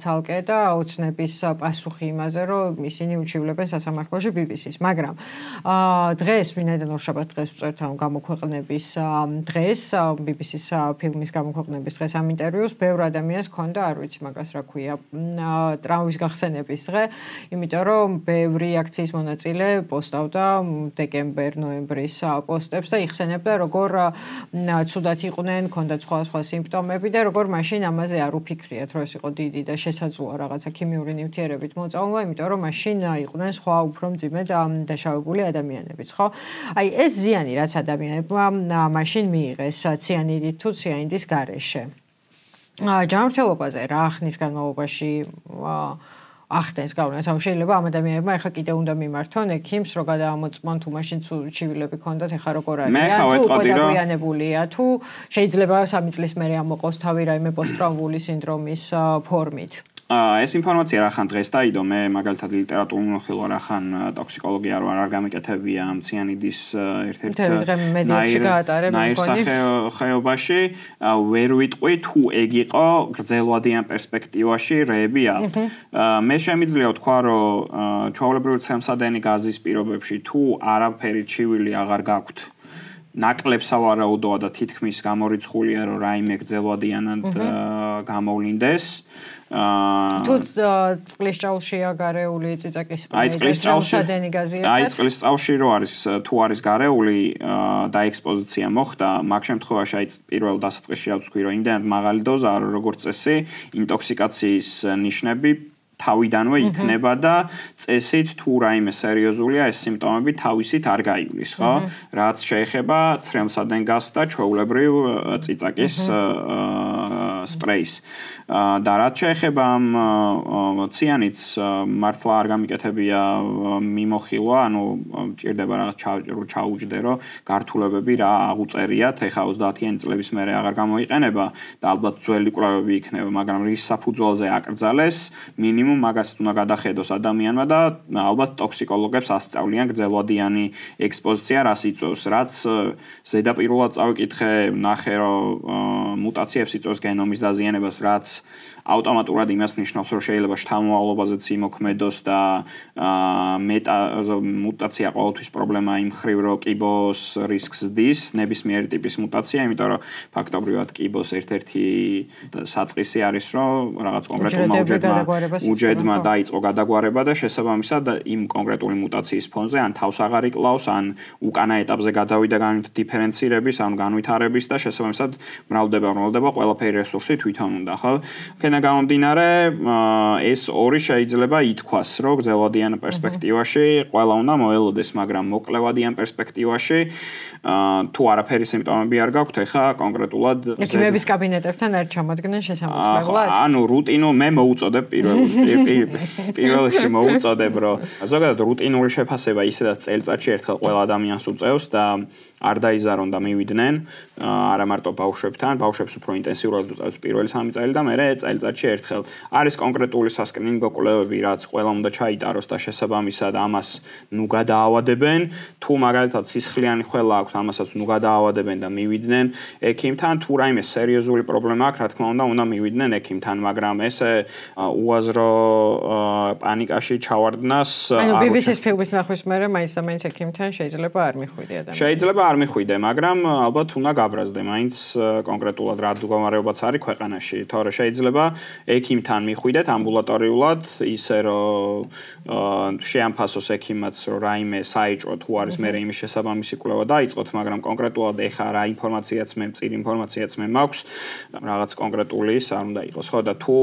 ცალკე და ოცნების პასუხი იმაზე, რომ ისინი უჩივლებენ სასამართლოში BBC-ს, მაგრამ დღეს ვინაიდან ორშაბათ დღეს ვწერთ ამ გამოქვეყნების დღეს BBC-ის ფილმის გამოქვეყნების დღეს ამ ინტერვიუს ბევრ ადამიანს ჰქონდა, არ ვიცი მაგას რა ქვია, ტრაუმის გახსენების დღე, იმიტომ რომ ბევრი აქციის მონაწილე პოსტავდა დეკემბერ-ნოემბრის პოსტებს და იხსენებდა, როგორ ცუდად იყვნენ, ჰქონდათ სხვა სიმპტომები და როგორ მაშინ ამაზე არ უფიქრიათ, რომ ეს იყო დიდი და შესაძლოა რაღაცა ქიმიური ნივთიერებით მოწამვლა, იმიტომ რომ მაშინ იყვნენ სხვა უფრო მძიმე და დაშავებული ადამიანებიც, ხო? აი ეს ზიანი რაც ადამიანებმა მაშინ მიიღეს ციანიდით თუ ციანიდის გარეშე. ჯანმრთელობაზე რა ხნის განმავლობაში ახდენს გავლენას? ანუ შეიძლება ამ ადამიანებმა ახლა კიდე უნდა მიმართონ ექიმს, რომ გადაამოწმონ თუ მაშინ ჩივილები ქონდათ, ახლა როგორ არის? თუ გადაგვიანებულია, თუ შეიძლება 3 წლის მერე ამოყოს თავი რაიმე პოსტტრაუმული სინდრომის ფორმით. ეს ინფორმაცია რახან დღეს დაიდო, მე მაგალითად ლიტერატურულ მოხილვა რახან ტოქსიკოლოგია არ გამიკეთებია ამ ციანიდის ერთ-ერთ ხეობაში, ვერ ვიტყვი თუ ეგ იყო გრძელვადიან პერსპექტივაში რეები აქვს. მე შემიძლია ვთქვა, რომ ჩვეულებრივი ცემსადენი გაზის პირობებში თუ არაფერი ჩივილი აღარ გაქვთ ნაკლებ სავარაუდოა და თითქმის გამორიცხულია რომ რაიმე გრძელვადიანად გამოვლინდეს. თუ წყლის ჭაულშია გარეული წიწაკის სრემსადენი გაზიერთად? აი წყლის ჭაულში რო არის თუ არის გარეული და ექსპოზიცია მოხდა, მაგ შემთხვევაში აი პირველ დასაწყისში რა ვთქვი რომ იმდენად მაღალი დოზაა რომ როგორც წესი ინტოქსიკაციის ნიშნები თავიდანვე იქნება და წესით თუ რაიმე სერიოზულია ეს სიმპტომები თავისით არ გაივლის, ხო? რაც შეეხება ცრემლსადენ გაზს და ჩვეულებრივ წიწაკის სპრეის. და რაც შეეხება ამ ციანიდს მართლა არ გამიკეთებია მიმოხილვა, ანუ ჭირდება რაღაც ჩაუჯდე რომ გართულებები რა აღუწერიათ, ეხა 30-იანი წლების მერე აღარ გამოიყენება და ალბათ ძველი კვლევები იქნება, მაგრამ რის საფუძველზე აკრძალეს, მინიმუმ მაგას უნდა გადახედოს ადამიანმა და ალბათ ტოქსიკოლოგებს ასწავლიან გრძელვადიანი ექსპოზიცია რას იწვევს, რაც ზედაპირულად წავიკითხე, ნახე რომ მუტაციებს იწვევს გენომის დაზიანებას, რაც ავტომატურად იმას ნიშნავს, რომ შეიძლება შთამომავლობაზეც იმოქმედოს და მუტაცია ყოველთვის პრობლემა იმ მხრივ, რომ კიბოს რისკს ზდის, ნებისმიერი ტიპის მუტაცია, იმიტომ რომ ფაქტობრივად კიბოს ერთ-ერთი საწყისი არის, რომ რაღაც კონკრეტულმა უჯედმა დაიწყო გადაგვარება და შესაბამისად იმ კონკრეტული მუტაციის ფონზე ან თავს აღარ იკლავს, ან უკანა ეტაპზე გადავიდა დიფერენცირების, ან განვითარების და შესაბამისად მრავლდება ყველაფერი რესურსი თვითონ უნდა, ხო? აქედან გამომდინარე, ეს ორი შეიძლება ითქვას, რომ გრძელვადიან პერსპექტივაში ყველა უნდა მოელოდეს, მაგრამ მოკლევადიან პერსპექტივაში თუ არაფერი სიმპტომები არ გაქვთ, ეხა კონკრეტულად ექიმების კაბინეტებთან არ ჩამოდგნენ შესამოწმებლად? ანუ რუტინულ მე მოუწოდებ პირველში მოუწოდებ, რომ ზოგადად რუტინული შეფასება ისედაც წელიწადში ერთხელ ყველა ადამიანს უწევს და არ დაიზარონ და მივიდნენ, არა მარტო ბავშვებთან, ბავშვებს უფრო ინტენსიურად უწევს პირველი 3 წელი და მერე წელიწადში ერთხელ. არის კონკრეტული სასკრინინგო კვლევები, რაც ყველა უნდა ჩაიტაროს და შესაბამისად ამას ნუ გადაავადებენ, თუ მაგალითად სისხლიანი ხველა აქვთ, ამასაც ნუ გადაავადებენ და მივიდნენ ექიმთან, თუ რაიმე სერიოზული პრობლემა აქვს, რა თქმა უნდა მივიდნენ ექიმთან, მაგრამ ესე უაზრო პანიკაში ჩავარდნას ანუ BBC-ს ფილმის ნახვის მერე მაინც და მაინც ექიმთან შეიძლება არ მიხვიდე ადამიანი. შეიძლება არ მიხვიდე, მაგრამ ალბათ უნდა გაბრაზდე, მაინც კონკრეტულად რა მდგომარეობაც არის ქვეყანაში, თორე შეიძლება ექიმთან მიხვიდეთ ამბულატორიულად, ისე რომ შეამფასოს ექიმაც, რომ რაიმე საიჭრო თუ არის მე იმის შესაბამისი კვლევა დაიწყოთ, მაგრამ კონკრეტულად ეხა რა ინფორმაციაც მე მწირი ინფორმაციაც მე მაქვს, რაღაც კონკრეტული ის არ უნდა იყოს, ხო და თუ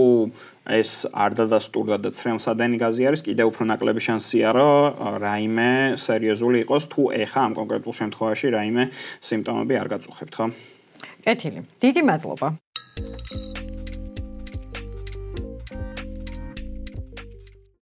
ეს არ დადასტურდა და ცრემლსადენი გაზი არის, კიდევ უფრო ნაკლები შანსია, რომ რაიმე სერიოზული იყოს, თუ ეხა ამ კონკრეტულ შემთხვევაში რაიმე სიმპტომები არ გაწუხებთ, ხო? კეთილი. დიდი მადლობა.